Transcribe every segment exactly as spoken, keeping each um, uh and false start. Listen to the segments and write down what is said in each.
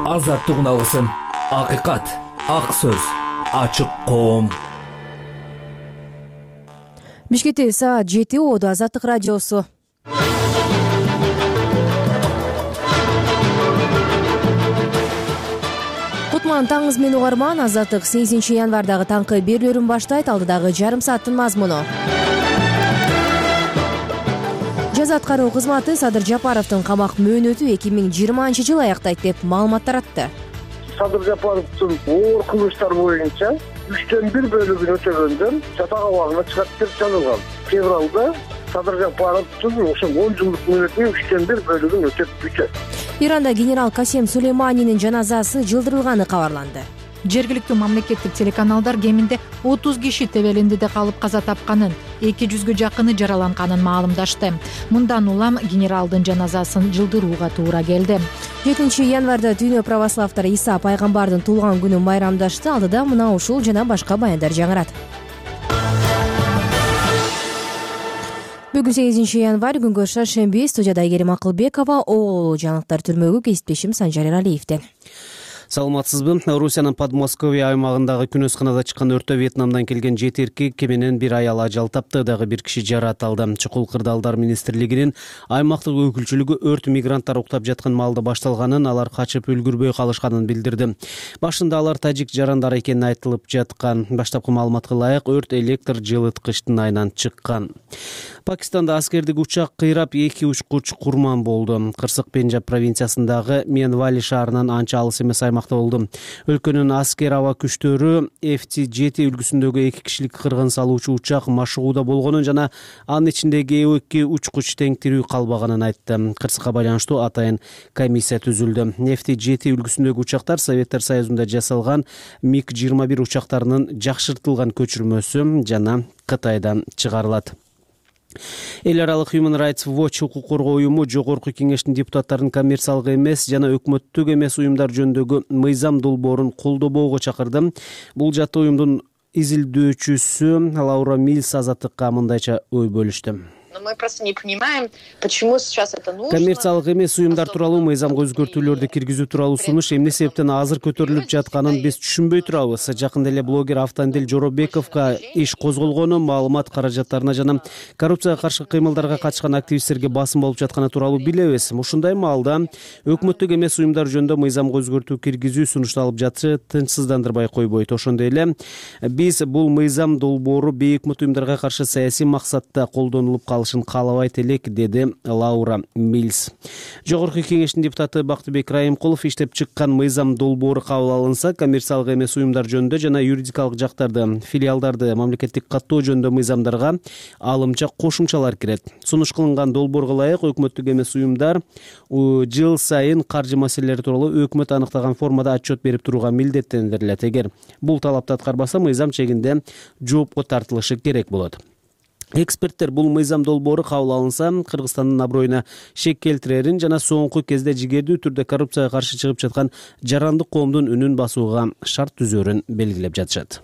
Азаттык үналысын, акыйкат, ак сөз, ачык коом. Бишкекте саат жети оодо Азаттык радиосу. Кутман таңыңыз менен угарман. Азаттык сегизинчи январдагы таңкы берүүлөрүн баштайт. Алдыдагы жарым сааттын мазмуну. Жаза аткаруу кызматы Садыр Жапаровдун камак мөөнөтү эки миң жыйырманчы жыл аяктайт деп маалымат таратты. Садыр Жапаровдун оор кылмыштар боюнча үчтөн бир бөлүгүн өтөгөндөн жатак абагына чыгат деп жазылган. Февралда Садыр Жапаровдун ошо он жылдык мөөнөтүнүн үчтөн бир бөлүгүн өтөп бүтөт. Иранда генерал Касем Сулейманинин жаназасы жылдырылганы кабарланды. Жергиликтүү мамлекеттик телеканалдар кеминде отуз киши тебелиндиде калып каза тапканын, эки жүзгө жакыны жараланганын маалымдашты. Мындан улам генералдын жаназасын жылдырууга туура келди. жетинчи январда дүйнө православдары Иса пайгамбардын туулган күнүн байрамдашты. Алдыда мына ушул жана башка баяндар жаңырат. Бүгүн сегизинчи январь, күнгө шаршемби. Студияда Айгерим Акылбекова, Оолу жаңылыктар түрмөгү кесиптешим Санжар Эралиевден. Саламатсызбы? Орусиянын Подмосковье аймагындагы күнөсканада чыккан өрттө Вьетнамдан келген жети эркек менен бир аял ажал тапты, дагы бир киши жаракат алды. Чукул кырдаалдар министрлигинин аймактык өкүлчүлүгү өрт мигранттар уктап жаткан маалда башталганын, алар качып үлгүрбөй калышканын билдирди. Башында алар тажик жарандар экени айтылып жаткан. Баштапкы маалыматка ылайык, өрт электр жылыткычтын айынан чыккан. Пакистанда аскердик учак кыйрап эки учкуч курман болду. Кырсык Пенджаб провинциясындагы Менвали шаарынан анча алыс эмес аймакта болду. Өлкөнүн аскер аба күчтөрү эф ти жети үлгүсүндөгү эки кишилик кыргын салуучу учак машыгууда болгонун жана анын ичиндеги эки учкуч тең тирүү калбаганын айтты. Кырсыкка байланыштуу атайын комиссия түзүлдү. эф ти жети үлгүсүндөгү учактар Советтер Союзунда жасалган миг жыйырма бир учактарынын жакшыртылган көчүрмөсү жана Кытайдан чыгарылат. Эл аралык Human Rights Watch укук коргоо уюму Жогорку кеңештин депутаттарын коммерциялык эмес жана өкмөттүк эмес уюмдар жөнүндөгү мыйзам долбоорун колдобоого чакырды. Бул жатты уюмдун изилдөөчүсү Лаура Милс Азаттыкка мындайча ой бөлүштү. Мы просто не понимаем, почему сейчас это нужно. Коммерциялык эмес уюмдар тууралуу мыйзамга өзгөртүүлөрдү киргизүү тууралуу сунуш эмне себептен азыр көтөрүлүп жатканын биз түшүнбөй турабыз. Жакында эле блогер Автандил Жоробековго иш козголгону, маалымат каражаттарына жана коррупцияга каршы кыймылдарга катышкан активисттерге басым болуп жатканы тууралуу билебиз. Ушундай маалда өкмөттүк эмес уюмдар жөнүндө мыйзамга өзгөртүү киргизүү сунушталып жатышы тынчсыздандырбай койбойт. Ошондой эле биз бул мыйзам долбоору бейөкмөт уюмдарга каршы саясий максатта колдонулуп калышын каалабайт элек, деди Лаура Милс. Жогорку кеңештин депутаты Бактыбек Райымкулов иштеп чыккан мыйзам долбоору кабыл алынса, коммерциялык эмес уюмдар жөнүндө жана юридикалык жактарды, филиалдарды мамлекеттик каттоо жөнүндө мыйзамдарга алымча кошумчалар кирет. Сунуш кылынган долбоорго ылайык өкмөттүк эмес уюмдар жыл сайын каржы маселелери тууралуу өкмөт аныктаган формада отчет берип турууга милдеттендирилет. Эгер бул талапты аткарбаса, мыйзам чегинде жоопко тартылышы керек болот. Эксперттер бул мыйзам долбоору кабыл алынса, Кыргызстандын аброюна шек келтирерин жана соңку кезде жигердүү түрдө коррупцияга каршы чыгып жаткан жарандык коомдун үнүн басууга шарт түзөрүн белгилеп жатышат.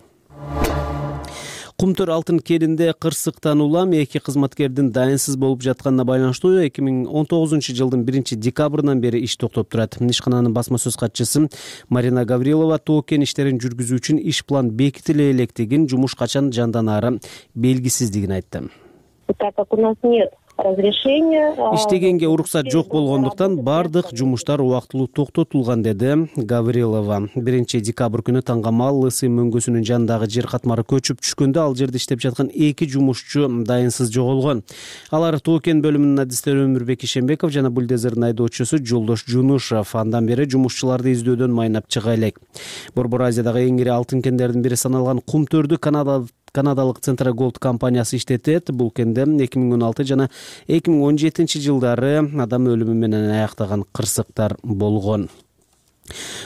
Кумтөр алтын кенинде кырсыктан улам эки кызматкердин дайынсыз болуп жатканына байланыштуу эки миң он тогузунчу жылдын биринчи декабрынан бери иш токтоп турат. Ишкананын басма сөз катчысы Марина Гаврилова тоо кен иштерин жүргүзүү үчүн иш план бекитиле электигин, жумуш качан жанданаары белгисиздигин айтты. Так как у нас нет разрешения. Иштегенге уруксат жок болгондуктан бардык жумуштар убактылуу токтотулган, деди Гаврилова. биринчи декабрь күнү Таңгамал Лысы мөңгөсүнүн жанындагы жер катмары көчүп түшкөндө ал жерде иштеп жаткан эки жумушчу дайынсыз жоголгон. Алар тоо кен бөлүмүнүн адистери Өмүрбек Ишембеков жана бульдозердин айдоочусу Жолдош Жунушев андан бери жумушчуларды издөөдөн майнап чыга элек. Борбор Азиядагы эң ири алтын кендердин бири саналган Кумтөрдү Канада Канадалык Центра Голд компаниясы иштетет. Бул кенде эки миң он алты жана эки миң он жетинчи жылдары адам өлүмү менен аяктаган кырсыктар болгон.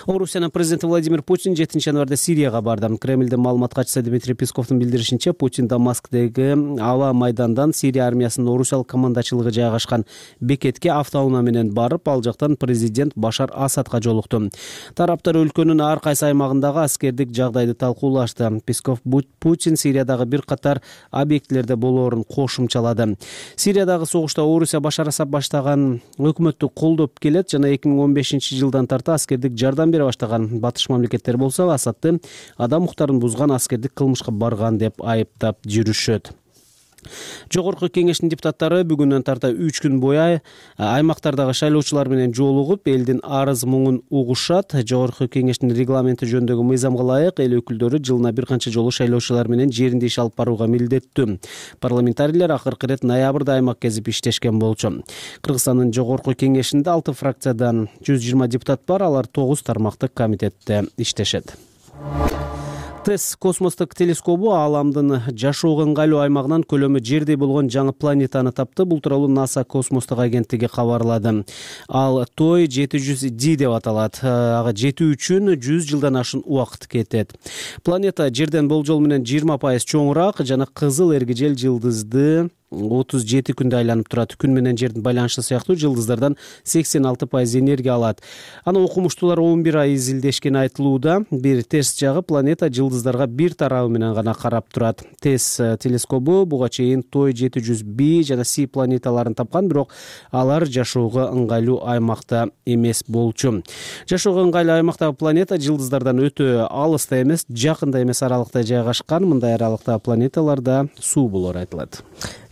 Орусиянын президенти Владимир Путин жетинчи январда Сирияга барды. Кремлдин маалымат катчысы Дмитрий Песковдун билдиришинче, Путин Дамасктеги аба майдандан Сирия армиясынын орусиялык командачылыгы жайгашкан бекетке автоунаа менен барып, ал жактан президент Башар Асадка жолукту. Тараптар өлкөнүн ар кайсы аймагындагы аскердик жагдайды талкуулашты. Песков Путин Сириядагы бир катар объектилерде болоорун кошумчалады. Сириядагы согушта Орусия Башар Асад баштаган өкмөттү колдоп келет жана эки миң он бешинчи жылдан тарта аскердик маанилүүлүк жардам бере баштаган батыш мамлекеттер болсо, Асадты адам укуктарын бузган аскердик кылмышка барган деп айыптап жүрүшөт. Жогорку кеңештин депутаттары бүгүндөн тарта үч күн бою аймактардагы шайлоочулар менен жолугуп, элдин арыз муңун угушат. Жогорку кеңештин регламенти жөнүндөгү мыйзамга ылайык эл өкүлдөрү жылына бир канча жолу шайлоочулар менен жеринде иш алып барууга милдеттүү. Парламентарийлер акыркы ирет ноябрда аймак кезип иштешкен болчу. Кыргызстандын жогорку кеңешинде алты фракциядан жүз жыйырма депутат бар, алар тогуз тармактык комитетте иштешет. ТЭСС космостук телескобу Ааламдын жашоого ыңгайлуу аймагынан көлөмү жердей болгон жаңы планетаны тапты. Бул тууралуу НАСА космостук агенттиги кабарлады. Ал той жети жүз ди деп аталат. Ага жетүү үчүн жүз жылдан ашын убакыт кетет. Планета жерден болжол менен жыйырма пайыз чоңураак жана кызыл эргижел жылдызды отуз жети күндө айланып турат. Күн менен жердин байланышы сыяктуу жылдыздардан сексен алты пайыз энергия алат. Аны окумуштуулар он бир ай изилдешкени айтылууда. Бир терс жагы, планета жылдыздарга бир тарабы менен гана карап турат. ТЭСС телескобу буга чейин той жети жүз би жана Си планеталарын тапкан, бирок алар жашоого ыңгайлуу аймакта эмес болчу. Жашоого ыңгайлуу аймактагы планета жылдыздардан өтө алыста эмес, жакында эмес аралыкта жайгашкан. Мындай аралыктагы планеталарда суу болору айтылат.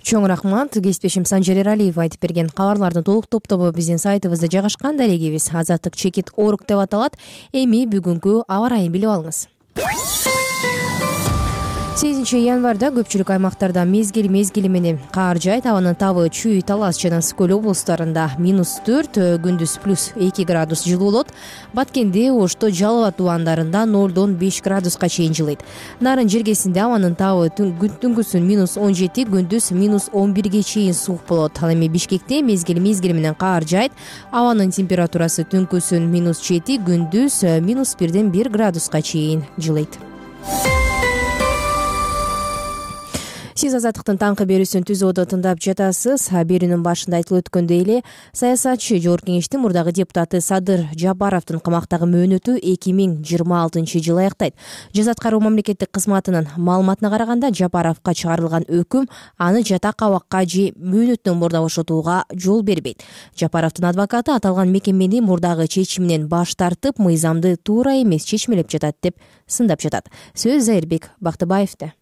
Чоң рахмат. Кесиптешим Санжар Эралиев айтып берген кабарлардын толук топтобу биздин сайтыбызда жайгашкан. Дарегибиз Азаттык чекит орг деп аталат. Эми бүгүнкү аба ырайын билип алыңыз. сегизинчи январда көпчүлүк аймактарда мезгил мезгили менен каар жаайт. Абанын табы Чүй, Талас жана Скөл облустарында минус төрт, күндүз плюс эки градус жылуу болот. Баткенде, Ошто, Жалал Абад тубандарында нолдон беш градуска чейин жылыйт. Нарын жергесинде абанын табы түнгүсүн минус он жети, күндүз минус он бирге чейин суук болот. Ал эми Бишкекте мезгил мезгили менен каар жаайт. Абанын температурасы түнкүсүн минус жети, күндүз минус бирден бир градуска чейин жылыйт. Сиз Азаттыктын таңкы берүүсүн түзүүдө тыңдап жатасыз. Берүүнүн башында айтылып өткөндөй эле, саясатчы Жогорку кеңештин мурдагы депутаты Садыр Жапаровдун камактагы мөөнөтү эки миң жыйырма алтынчы жылы аяктайт. Жаза аткаруу мамлекеттик кызматынын маалыматына караганда, Жапаровго чыгарылган өкүм аны жатак абакка же мөөнөттөн мурда бошотууга жол бербейт. Жапаровдун адвокаты аталган мекемени мурдагы чечиминен баш тартып, мыйзамды туура эмес чечмелеп жатат деп сындап жатат. Сөз Зайырбек Бактыбаевде.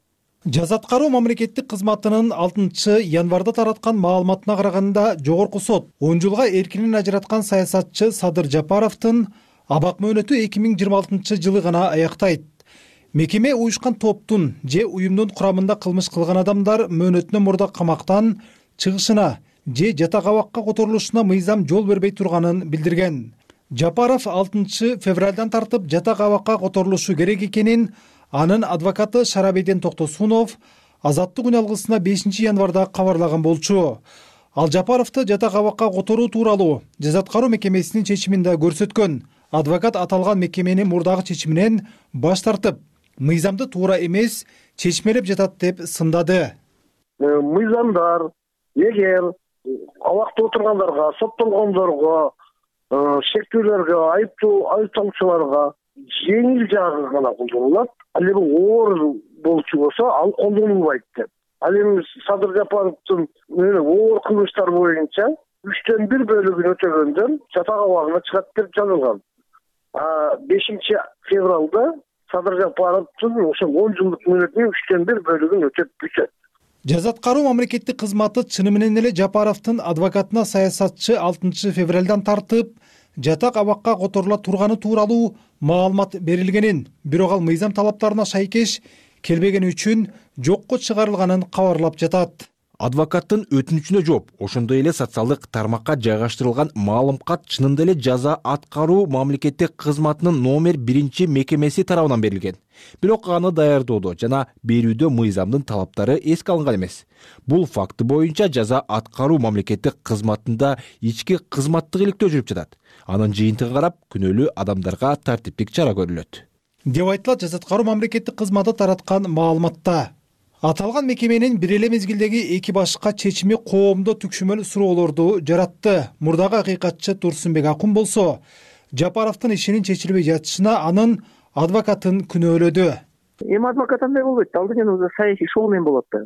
Жаза аткаруу мамлекеттик кызматынын алтынчы январда тараткан маалыматына караганда, Жогорку сот он жылга эркинен ажыраткан саясатчы Садыр Жапаровдун абак мөөнөтү эки миң жыйырма алтынчы жылы гана аяктайт. Мекеме уюшкан топтун же уюмдун курамында кылмыш кылган адамдар мөөнөтүнөн мурда камактан чыгышына же жатак абакка которулушуна мыйзам жол бербей турганын билдирген. Жапаров алтынчы февралдан тартып жатак абакка которулушу керек экенин анын адвокаты Шарабейден Токтосунов Азаттык үн алгысына бешинчи январда кабарлаган болчу. Ал Жапаровду жатак абакка которуу тууралуу жаза аткаруу мекемесинин чечиминде көрсөткөн. Адвокат аталган мекеменин мурдагы чечиминен баш тартып, мыйзамды туура эмес чечмелеп жатат деп сындады. Мыйзамдар эгер абакта отургандарга, соттолгондорго, шектүүлөргө, айыптуу айыпталуучуларга жеңил жагы гана колдонулат. Ал эми оор болчу болсо, ал колдонулбайт деп. Ал эми Садыр Жапаровдун оор кылмыштар боюнча үчтөн бир бөлүгүн өтөгөндөн жатак абагына чыгат деп жазылган. бешинчи февралда Садыр Жапаровдун ошо он жылдык мөөнөтүнүн үчтөн бир бөлүгүн өтөп бүтөт. Жаза аткаруу мамлекеттик кызматы чыны менен эле Жапаровдун адвокатына саясатчы алтынчы февралдан тартып жатак абакка которула турганы тууралуу маалымат берилгенин, бирок ал мыйзам талаптарына шайкеш келбегени үчүн жокко чыгарылганын кабарлап жатат. Адвокаттын өтүнүчүнө жооп, ошондой эле социалдык тармакка жайгаштырылган маалымкат чынында эле жаза аткаруу мамлекеттик кызматынын номер биринчи мекемеси тарабынан берилген. Бирок аны даярдоодо жана берүүдө мыйзамдын талаптары эске алынган эмес. Бул факты боюнча жаза аткаруу мамлекеттик кызматында ички кызматтык иликтөө жүрүп жатат. Анын жыйынтыгын карап, күнөөлүү адамдарга тартиптик чара көрүлөт деп айтылат жаза аткаруу мамлекеттик кызматы тараткан маалыматта. Аталган мекеменин бир эле мезгилдеги эки башка чечими коомдо түкшүмөл суроолорду жаратты. Мурдагы акыйкатчы Турсунбек Акун болсо, Жапаровдун ишинин чечилбей жатышына анын адвокатын күнөөлөдү. Эми адвокат андай болбойт, ал деген саясий шоу менен болот да.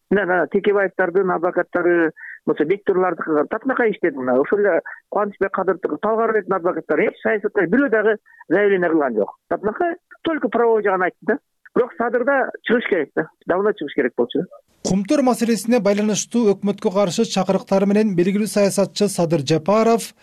Мына Текебаевдардын адвокаттары болсо бектурлардыкы татынакай иштеди. Мына ошол эле Кубанычбек Кадыровдуку, Талгарбектин адвокаттары эч саясатта бирөө дагы заявление кылган жок. Татынакай только правовой жагын айтты да. Бирок Садырда чыгыш керек да. Давно чыгыш керек болчу. Кумтөр маселесине байланыштуу өкмөткө каршы чакырыктары менен белгилүү саясатчы Садыр Жапаров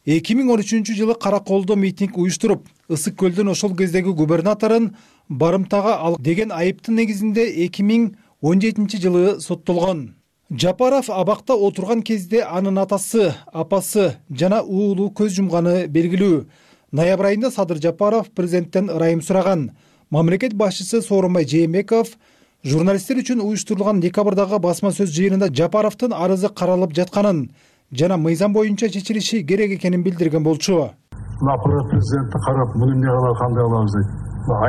эки миң он үчүнчү жылы Караколдо митинг уюштуруп, Ысык көлдүн ошол кездеги губернаторун барымтага ал деген айыптын негизинде эки миң он жетинчи жылы соттолгон. Жапаров абакта отурган кезде анын атасы, апасы жана уулу көз жумганы белгилүү. Ноябрь айында Садыр Жапаров президенттен ырайым сураган. Мамлекет башчысы Сооронбай Жээнбеков журналисттер үчүн уюштурулган декабрдагы басма сөз жыйынында Жапаровдун арызы каралып жатканын жана мыйзам боюнча чечилиши керек экенин билдирген болчу. Аппарат президентти карап, муну эмне кылалы, кандай кылабыз дейт.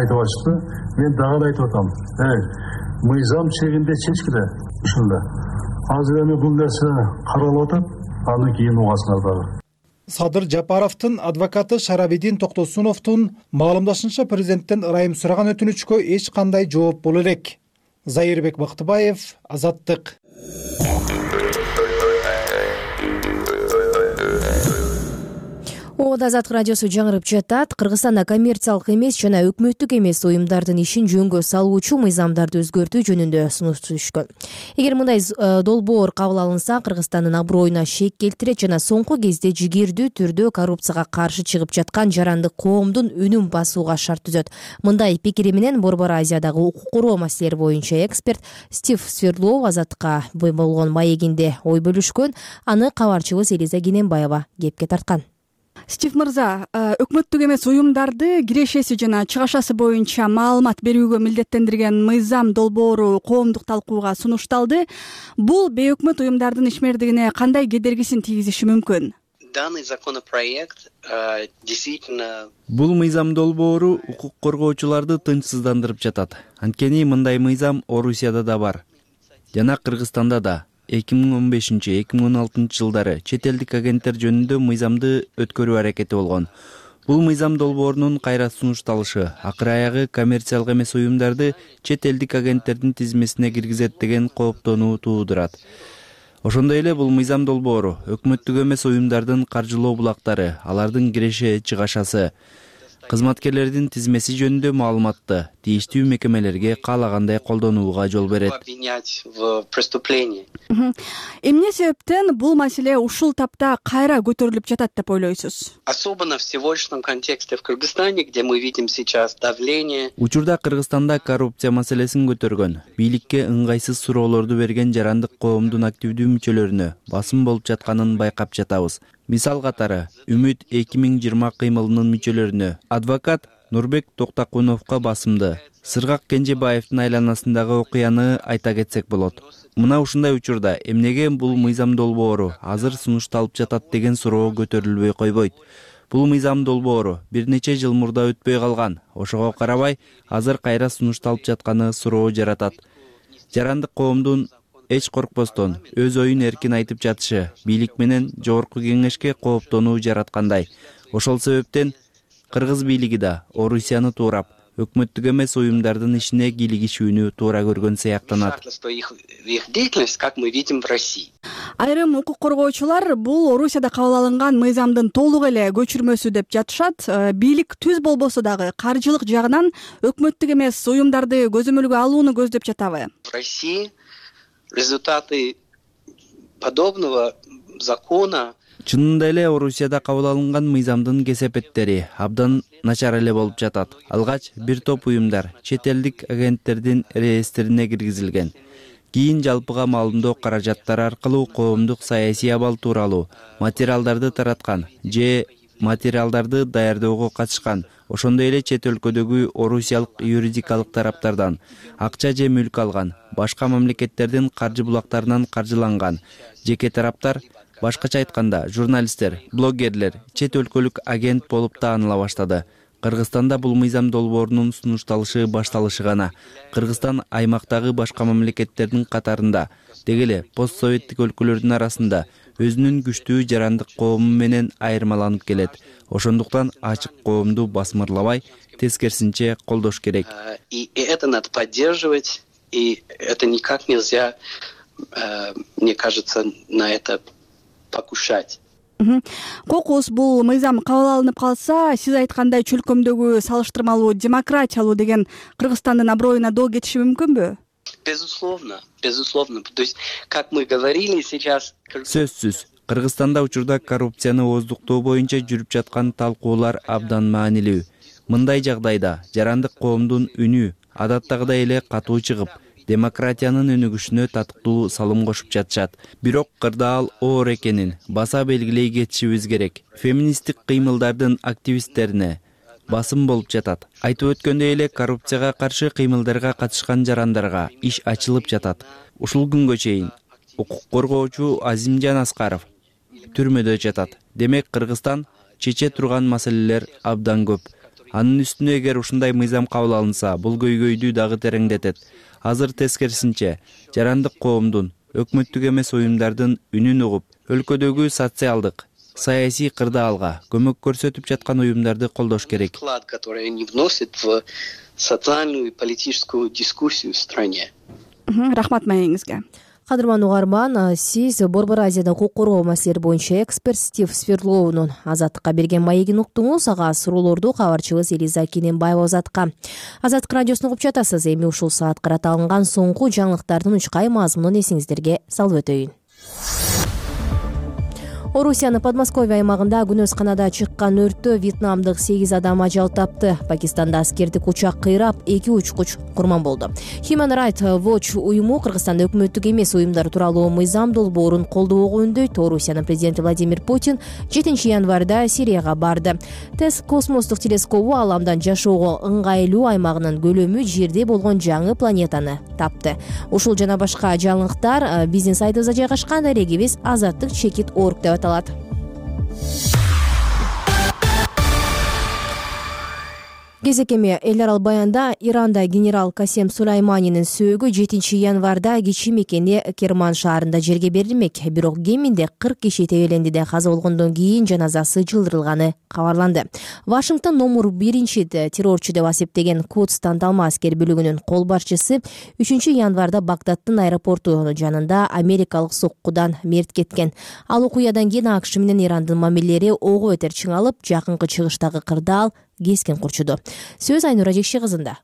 Айтып атышты. Мен дагы айтып атам. Эй, мыйзам чегинде чечкиле ушунда. Азыр эми бул нерсе каралып атат, андан кийин угасыңар дагы. Садыр Жапаровдун адвокаты Шарабидин Токтосуновдун маалымдашынча президенттен ырайым сураган өтүнүчкө эч кандай жооп боло элек. Зайырбек Бактыбаев, Азаттык. Ода Азаттык радиосу жаңырып жатат. Кыргызстанда коммерциялык эмес жана өкмөттүк эмес уюмдардын ишин жөнгө салуучу мыйзамдарды өзгөртүү жөнүндө сунуш түшкөн. Эгер мындай долбоор кабыл алынса, Кыргызстандын аброюна шек келтирет жана соңку кезде жигердүү түрдө коррупцияга каршы чыгып жаткан жарандык коомдун үнүн басууга шарт түзөт. Мындай пикири менен Борбор Азиядагы укук коргоо маселелери боюнча эксперт Стив Свердлов Азаттыкка болгон маегинде ой бөлүшкөн. Аны кабарчыбыз Элиза Кененбаева кепке тарткан. Стив мырза, өкмөттүк эмес уюмдарды кирешеси жана чыгашасы боюнча маалымат берүүгө милдеттендирген мыйзам долбоору коомдук талкууга сунушталды. Бул бейөкмөт уюмдардын ишмердигине кандай кедергисин тийгизиши мүмкүн? Данный законопроект действительно Бул мыйзам долбоору укук коргоочуларды тынчсыздандырып жатат. Анткени мындай мыйзам Орусияда да бар жана Кыргызстанда да. эки миң он бешинчи — эки миң он алтынчы жылдары чет элдик агенттер жөнүндө мыйзамды өткөрүү аракети болгон. Бул мыйзам долбоорунун кайра сунушталышы акыры аягы коммерциялык эмес уюмдарды чет элдик агенттердин тизмесине киргизет деген кооптонуу туудурат. Ошондой эле бул мыйзам долбоору өкмөттүк эмес уюмдардын каржылоо булактары, алардын киреше чыгашасы, кызматкерлердин тизмеси жөнүндө маалыматты тийиштүү мекемелерге каалагандай колдонууга жол берет. Эмне себептен бул маселе ушул тапта кайра көтөрүлүп жатат деп ойлойсуз? Особенно в сегодняшнем контексте в Кыргызстане, где мы видим сейчас давление. Учурда Кыргызстанда коррупция маселесин көтөргөн, бийликке ыңгайсыз суроолорду берген жарандык коомдун активдүү мүчөлөрүнө басым болуп жатканын байкап жатабыз. Мисал катары, Үмүт эки миң жыйырма кыймылынын мүчөлөрүнө адвокат Нурбек Токтакуновго басымды, Сыргак Кенжебаевдин айланасындагы окуяны айта кетсек болот. Мына ушундай учурда эмнеге бул мыйзам долбоору азыр сунушталып жатат деген суроо көтөрүлбөй койбойт. Бул мыйзам долбоору бир нече жыл мурда өтпөй калган. Ошого карабай, азыр кайра сунушталып жатканы суроо жаратат. Жарандык коомдун эч коркпостон өз оюн эркин айтып жатышы бийлик менен жогорку кеңешке кооптонуу жараткандай. Ошол себептен Кыргыз бийлиги да Орусияны туурап, өкмөттүк эмес уюмдардын ишине кийлигишүүнү туура көргөн сыяктанат. Айрым укук коргоочулар бул Орусияда кабыл алынган мыйзамдын толук эле көчүрмөсү деп жатышат. Бийлик түз болбосо дагы каржылык жагынан өкмөттүк эмес уюмдарды көзөмөлгө алууну көздөп жатабы? В России результаты подобного закона Чынында эле Орусияда кабыл алынган мыйзамдын кесепеттери абдан начар эле болуп жатат. Алгач бир топ уюмдар чет элдик агенттердин реестрине киргизилген. Кийин жалпыга маалымдоо каражаттары аркылуу коомдук саясий абал тууралуу материалдарды тараткан же материалдарды даярдоого катышкан. Ошондой эле чет өлкөдөгү орусиялык юридикалык тараптардан акча же мүлк алган, башка мамлекеттердин каржы булактарынан каржыланган жеке тараптар, башкача айтканда, журналисттер, блогерлер чет өлкөлүк агент болуп тааныла баштады. Кыргызстанда бул мыйзам долбоорунун сунушталышы башталышы гана. Кыргызстан аймактагы башка мамлекеттердин катарында, деги эле постсоветтик өлкөлөрдүн арасында өзүнүн күчтүү жарандык коому менен айырмаланып келет. Ошондуктан ачык коомду басмырлабай, тескерисинче колдош керек. И это надо поддерживать, и это никак нельзя мне кажется, на это покушать. Кокус бул мыйзам кабыл алынып калса, сиз айткандай чөлкөмдөгү салыштырмалуу демократиялуу деген Кыргызстандын аброюна доо кетиши мүмкүнбү? Безусловно, безусловно. То есть, как мы говорили сейчас... Сөзсүз. Кыргызстанда учурда коррупцияны ооздуктоо боюнча жүрүп жаткан талкуулар абдан маанилүү. Мындай жагдайда жарандык коомдун үнү адаттагыдай эле катуу чыгып, демократиянын өнүгүшүнө татыктуу салым кошуп жатышат. Бирок кырдаал оор экенин баса белгилей кетишибиз керек. Феминисттик кыймылдардын активисттерине басым болуп жатат. Айтып өткөндөй эле коррупцияга каршы кыймылдарга катышкан жарандарга иш ачылып жатат. Ушул күнгө чейин укук коргоочу Азимжан Аскаров түрмөдө жатат. Демек Кыргызстан чече турган маселелер абдан көп. Анын үстүнө эгер ушундай мыйзам кабыл алынса, бул көйгөйдү дагы тереңдетет. Азыр тескерисинче, жарандык коомдун, өкмөттүк эмес уюмдардын үнүн угуп, өлкөдөгү социалдык, саясий кырдаалга көмөк көрсөтүп жаткан уюмдарды колдош керек. Вклад, который они вносят в социальную и политическую дискуссию в стране. Рахмат маегиңизге. Кадырман угарман, сиз Борбор Азияда укук коргоо маселелери боюнча эксперт Стив Сверлоунун Азаттыкка берген маегин уктуңуз. Ага суроолорду кабарчыбыз Элиза Кененбаева Азаттыкка. Азаттык радиосун угуп жатасыз. Эми ушул саат карата алынган соңку жаңылыктардын учкай мазмунун эсиңиздерге салып өтөйүн. Орусиянын Подмосковье аймагында күнөс канада чыккан өрттө вьетнамдык сегиз адам ажал тапты. Пакистанда аскердик учак кыйрап, эки учкуч курман болду. Human Rights Watch уюму Кыргызстанда өкмөттүк эмес уюмдар тууралуу мыйзам долбоорун колдоого үндөйт. Орусиянын президенти Владимир Путин жетинчи январда Сирияга барды. ТЭСС космостук телескобу Аламдан жашоого ыңгайлуу аймагынын көлөмү жерде болгон жаңы планетаны тапты. Ушул жана башка жаңылыктар биздин сайтыбызда жайгашкан. Дарегибиз Азаттык чекит орг деп аталат. Кезекеме эл арал баянда Иранда генерал Касем Сулайманинин сөөгү жетинчи январда кичи мекени Керман шаарында жерге берилмек. Бирок кеминде кырк киши тебелендиде каза болгондон кийин жаназасы жылдырылганы кабарланды. Вашингтон номер биринчи террорчу деп асептеген Кудс танталма аскер бөлүгүнүн кол башчысы үчүнчү январда Багдаддын аэропорту жанында америкалык соккудан мерт кеткен. Ал окуядан кийин АКШ менен Ирандын мамилелери ого бетер чыңалып, жакынкы чыгыштагы кырдаал кескен курчуду. Сөз Айнура Жекши кызында.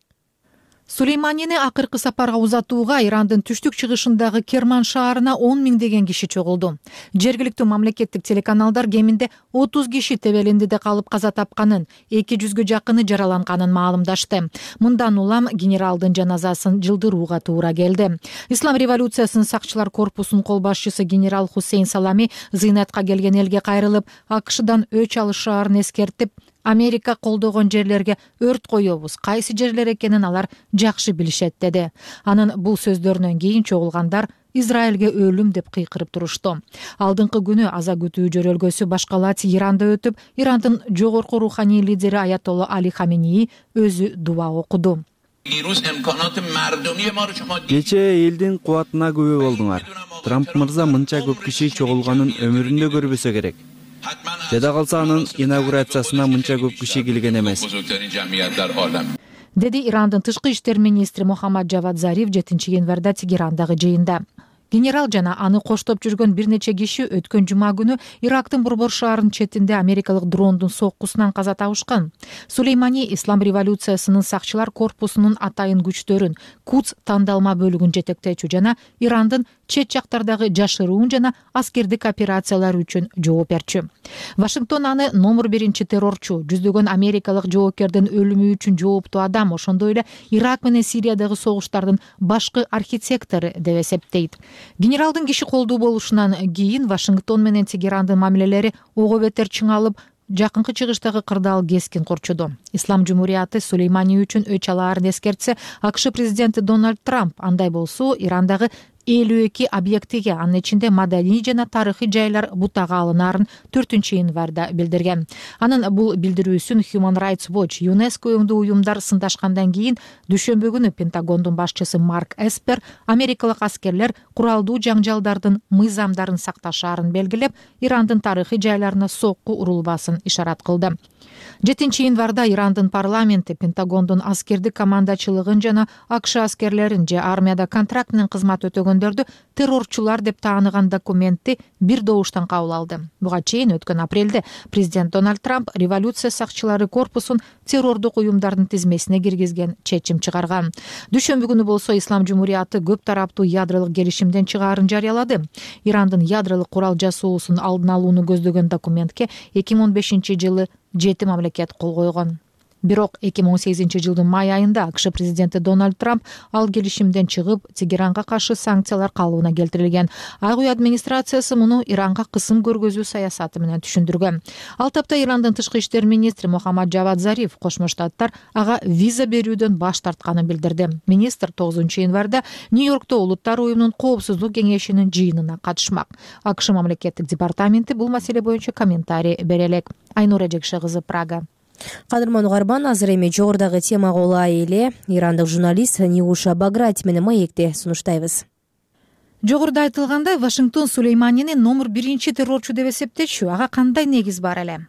Сулейманини акыркы сапарга узатууга Ирандын түштүк чыгышындагы Керман шаарына он миңдеген киши чогулду. Жергиликтүү мамлекеттик телеканалдар кеминде отуз киши тебелендиде калып каза тапканын, эки жүзгө жакыны жараланганын маалымдашты. Мындан улам генералдын жаназасын жылдырууга туура келди. Ислам революциясынын сакчылар корпусунун кол башчысы генерал Хусейн Салами зыйнатка келген элге кайрылып, АКШдан өч алышаарын эскертип, Америка колдогон жерлерге өрт коебуз, кайсы жерлер экенин алар жакшы билишет деди. Анын бул сөздөрүнөн кийин чогулгандар Израилге өлүм деп кыйкырып турушту. Алдыңкы күнү аза күтүү жөрөлгөсү башкалат Иранда өтүп, Ирандын жогорку руханий лидери Аятолла Али Хаменеи өзү дуба окуду. Кечээ элдин кубатына күбө болдуңар. Трамп мырза мынча көп киши чогулганын өмүрүндө көрбөсө керек. Жада калса анын инаугурациясына мынча көп киши келген эмес. Деди Ирандын тышкы иштер министри Мухаммад Джавад Зариф жетинчи январда Тегерандагы жыйында. Генерал жана аны коштоп жүргөн бир нече киши өткөн жума күнү Ирактын борбор шаарынын четинде америкалык дрондун соккусунан каза табышкан. Сулеймани Ислам революциясынын сакчылар корпусунун атайын күчтөрүн, Кудс тандалма бөлүгүн жетектечү жана Ирандын чет жактардагы жашыруун жана аскердик операциялар үчүн жооп берчү. Вашингтон аны номер биринчи террорчу, жүздөгөн америкалык жоопкердин өлүмү үчүн жооптуу адам, ошондой эле Ирак менен Сириядагы согуштардын башкы архитектору деп эсептейт. Генералдын киши колдуу болушунан кийин Вашингтон менен Тегерандын мамилелери ого бетер чыңалып, жакынкы чыгыштагы кырдаал кескен курчуду. Ислам жумурияты Сулеймани үчүн өч алаарын эскертсе, АКШ президенти Дональд Трамп андай болсо Ирандагы элүү эки объектиге, анын ичинде маданий жана тарыхый жайлар бутага алынаарын төртүнчү январда билдирген. Анын бул билдирүүсүн Human Rights Watch ЮНЕСКО уюмдуу уюмдар сындашкандан кийин дүйшөмбү күнү Пентагондун башчысы Марк Эспер америкалык аскерлер куралдуу жаңжалдардын мыйзамдарын сакташаарын белгилеп, Ирандын тарыхый жайларына сокку урулбасын ишарат кылды. жетинчи январда Ирандын парламенти Пентагондун аскердик командачылыгын жана АКШ аскерлерин же армияда контракт менен кызмат өтөгөндөрдү террорчулар деп тааныган документти бир добуштан кабыл алды. Буга чейин өткөн апрелде президент Дональд Трамп революция сакчылары корпусун террордук уюмдардын тизмесине киргизген чечим чыгарган. Дүйшөмбү күнү болсо Ислам Жумурияты көп тараптуу ядролук келишимден чыгаарын жарыялады. Ирандын ядролук курал жасоосун алдын алууну көздөгөн документке эки миң он бешинчи жылы жети мамлекет кол койгон. Бирок эки миң он сегизинчи жылдын май айында АКШ президенти Дональд Трамп ал келишимден чыгып, Тегеранга каршы санкциялар калыбына келтирилген. Ак үй администрациясы муну Иранга кысым көргөзүү саясаты менен түшүндүргөн. Ал тапта Ирандын тышкы иштер министри Мухаммад Джавад Зариф Кошмо Штаттар ага виза берүүдөн баш тартканын билдирди. Министр тогузунчу январда Нью-Йоркто Улуттар уюмунун коопсуздук кеңешинин жыйынына катышмак. АКШ мамлекеттик департаменти бул маселе боюнча комментарий бере элек. Айнура Жекше кызы, Прага. Кадырман угарман, азыр эми жогорудагы темага улай эле ирандык журналист Нигуша Баграти менен маекти сунуштайбыз. Жогоруда айтылгандай, Вашингтон Сулейманини номер биринчи террорчу деп эсептечү. Ага кандай негиз бар эле?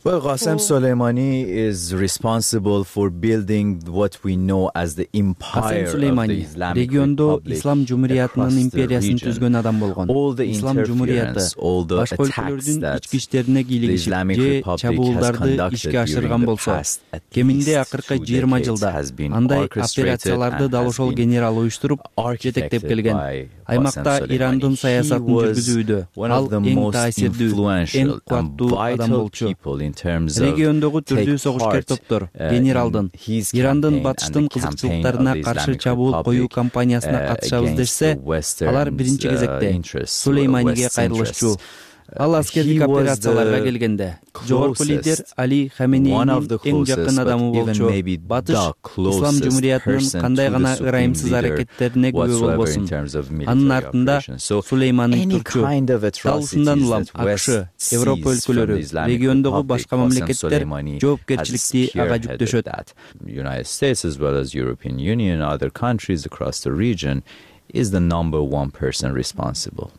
Well, Qasem Soleimani is responsible for building what we know as the empire of the Islamic региондо Republic Ислам Жумуриятынын across the империясын region. түзгөн адам болгон. All the Ислам Жумурияты interference, all the башка attacks өлкөлөрдүн that ички иштерине the кийлигишип Islamic же Republic has чабуулдарды conducted ишке ашырган during the болсо, past at кеминде least акыркы two жыйырма decades жылда has been андай orchestrated операцияларды and дал has ошол been генерал уюштуруп, жетектеп architected келген. by Аймакта Qasem Ирандын Soleimani. саясатын He was жүргүзүүдө one ал of the эң most таасирдүү, эң influential and кубаттуу адам vital болчу. people in terms of Региондогу түрдүү take согушкер part, топтор uh, генералдын in his Ирандын campaign батыштын and the campaign кызыкчылыктарына of the каршы Islamic чабуул коюу Republic, кампаниясына uh, катышабыз against дешсе, the Western, алар биринчи uh, кезекте interests, Сулейманиге West кайрылышчу. interests. Ал аскердик He was операцияларга the келгенде жогорку лидер closest, Али one Хаменейдин of the эң жакын closest, адамы but even болчу. maybe Батыш the Ислам closest Жумуриятынын person кандай to гана the supreme ырайымсыз leader аракеттерине күбө whatsoever in болбосун. terms of military Анын артында operations. So Сулеймани any турчу. kind of Дал atrocities ушундан улам that West АКШ, Европа sees from the өлкөлөрү, Islamic региондогу Republic, башка Qasem мамлекеттер Soleimani жоопкерчиликти has ага spearheaded жүктөшөт. that. United States as well as European Union, other countries across the region is the number one person responsible.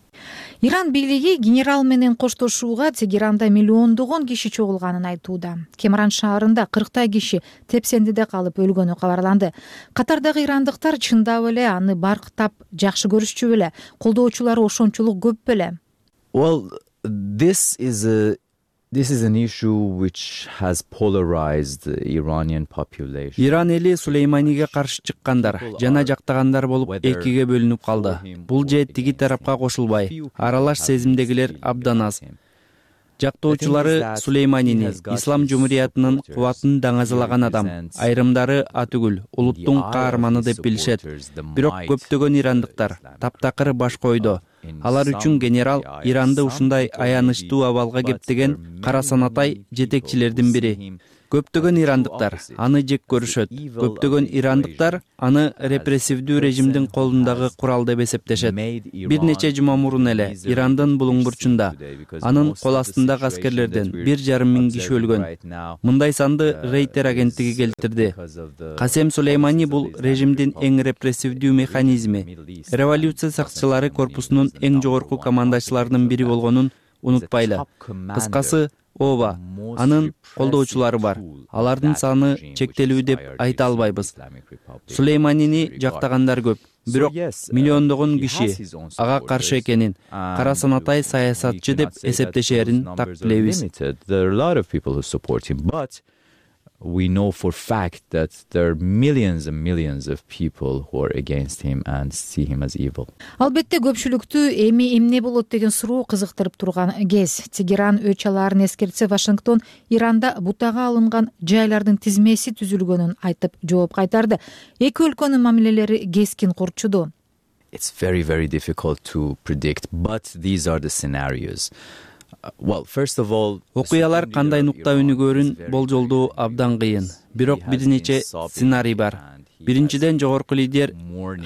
Иран бийлиги генерал менен коштошууга Тегеранда миллиондогон киши чогулганын айтууда. Кемран шаарында кырктай киши тепсендиде калып өлгөнү кабарланды. Катардагы ирандыктар чындап эле аны барктап жакшы көрүшчү беле? Колдоочулары ошончолук көп беле? Well, this is a This is an issue which has polarized the Iranian population. Иран эли Сулейманиге каршы чыккандар жана жактагандар болуп экиге бөлүнүп калды. Бул же тиги тарапка кошулбай, аралаш сезимдегилер абдан аз. Жактоочулары Сулейманини Ислам Жумуриятынын кубатын даңазалаган адам, айрымдары атүгүл, улуттун каарманы деп билишет. Бирок көптөгөн ирандыктар таптакыр баш койду. Алар үчүн генерал Иранды ушундай аянычтуу абалга кептеген кара санатай жетекчилердин бири. Көптөгөн ирандыктар аны жек көрүшөт. Көптөгөн ирандыктар аны репрессивдүү режимдин колундагы курал деп эсептешет. Бир нече жума мурун эле Ирандын булуң бурчунда анын кол астындагы аскерлерден бир жарым миң киши өлгөн. Мындай санды Рейтер агенттиги келтирди. Касем Сулеймани бул режимдин эң репрессивдүү механизми. Революция сакчылары корпусунун эң жогорку командачыларынын бири болгонун унутпайлы. Кыскасы, ооба, анын колдоочулары бар. Алардын саны чектелүү деп айта албайбыз. Сулейманини жактагандар көп. Бирок миллиондогон киши ага каршы экенин, кара санатай саясатчы деп эсептешерин так билебиз. We know for fact that there are millions and millions of people who are against him and see him as evil. Албетте көпчүлүктү эми эмне болот деген суроо кызыктырып турган кез. Тегеран өч алаарын эскертсе, Вашингтон Иранда бутага алынган жайлардын тизмеси түзүлгөнүн айтып жооп кайтарды. Эки өлкөнүн мамилелери кескин курчуду. It's very very difficult to predict, but these are the scenarios. Well, first of all, окуялар кандай нукта өнүгөрүн болжолдоо абдан кыйын. Бирок бир нече сценарий бар. биринчиден жогорку лидер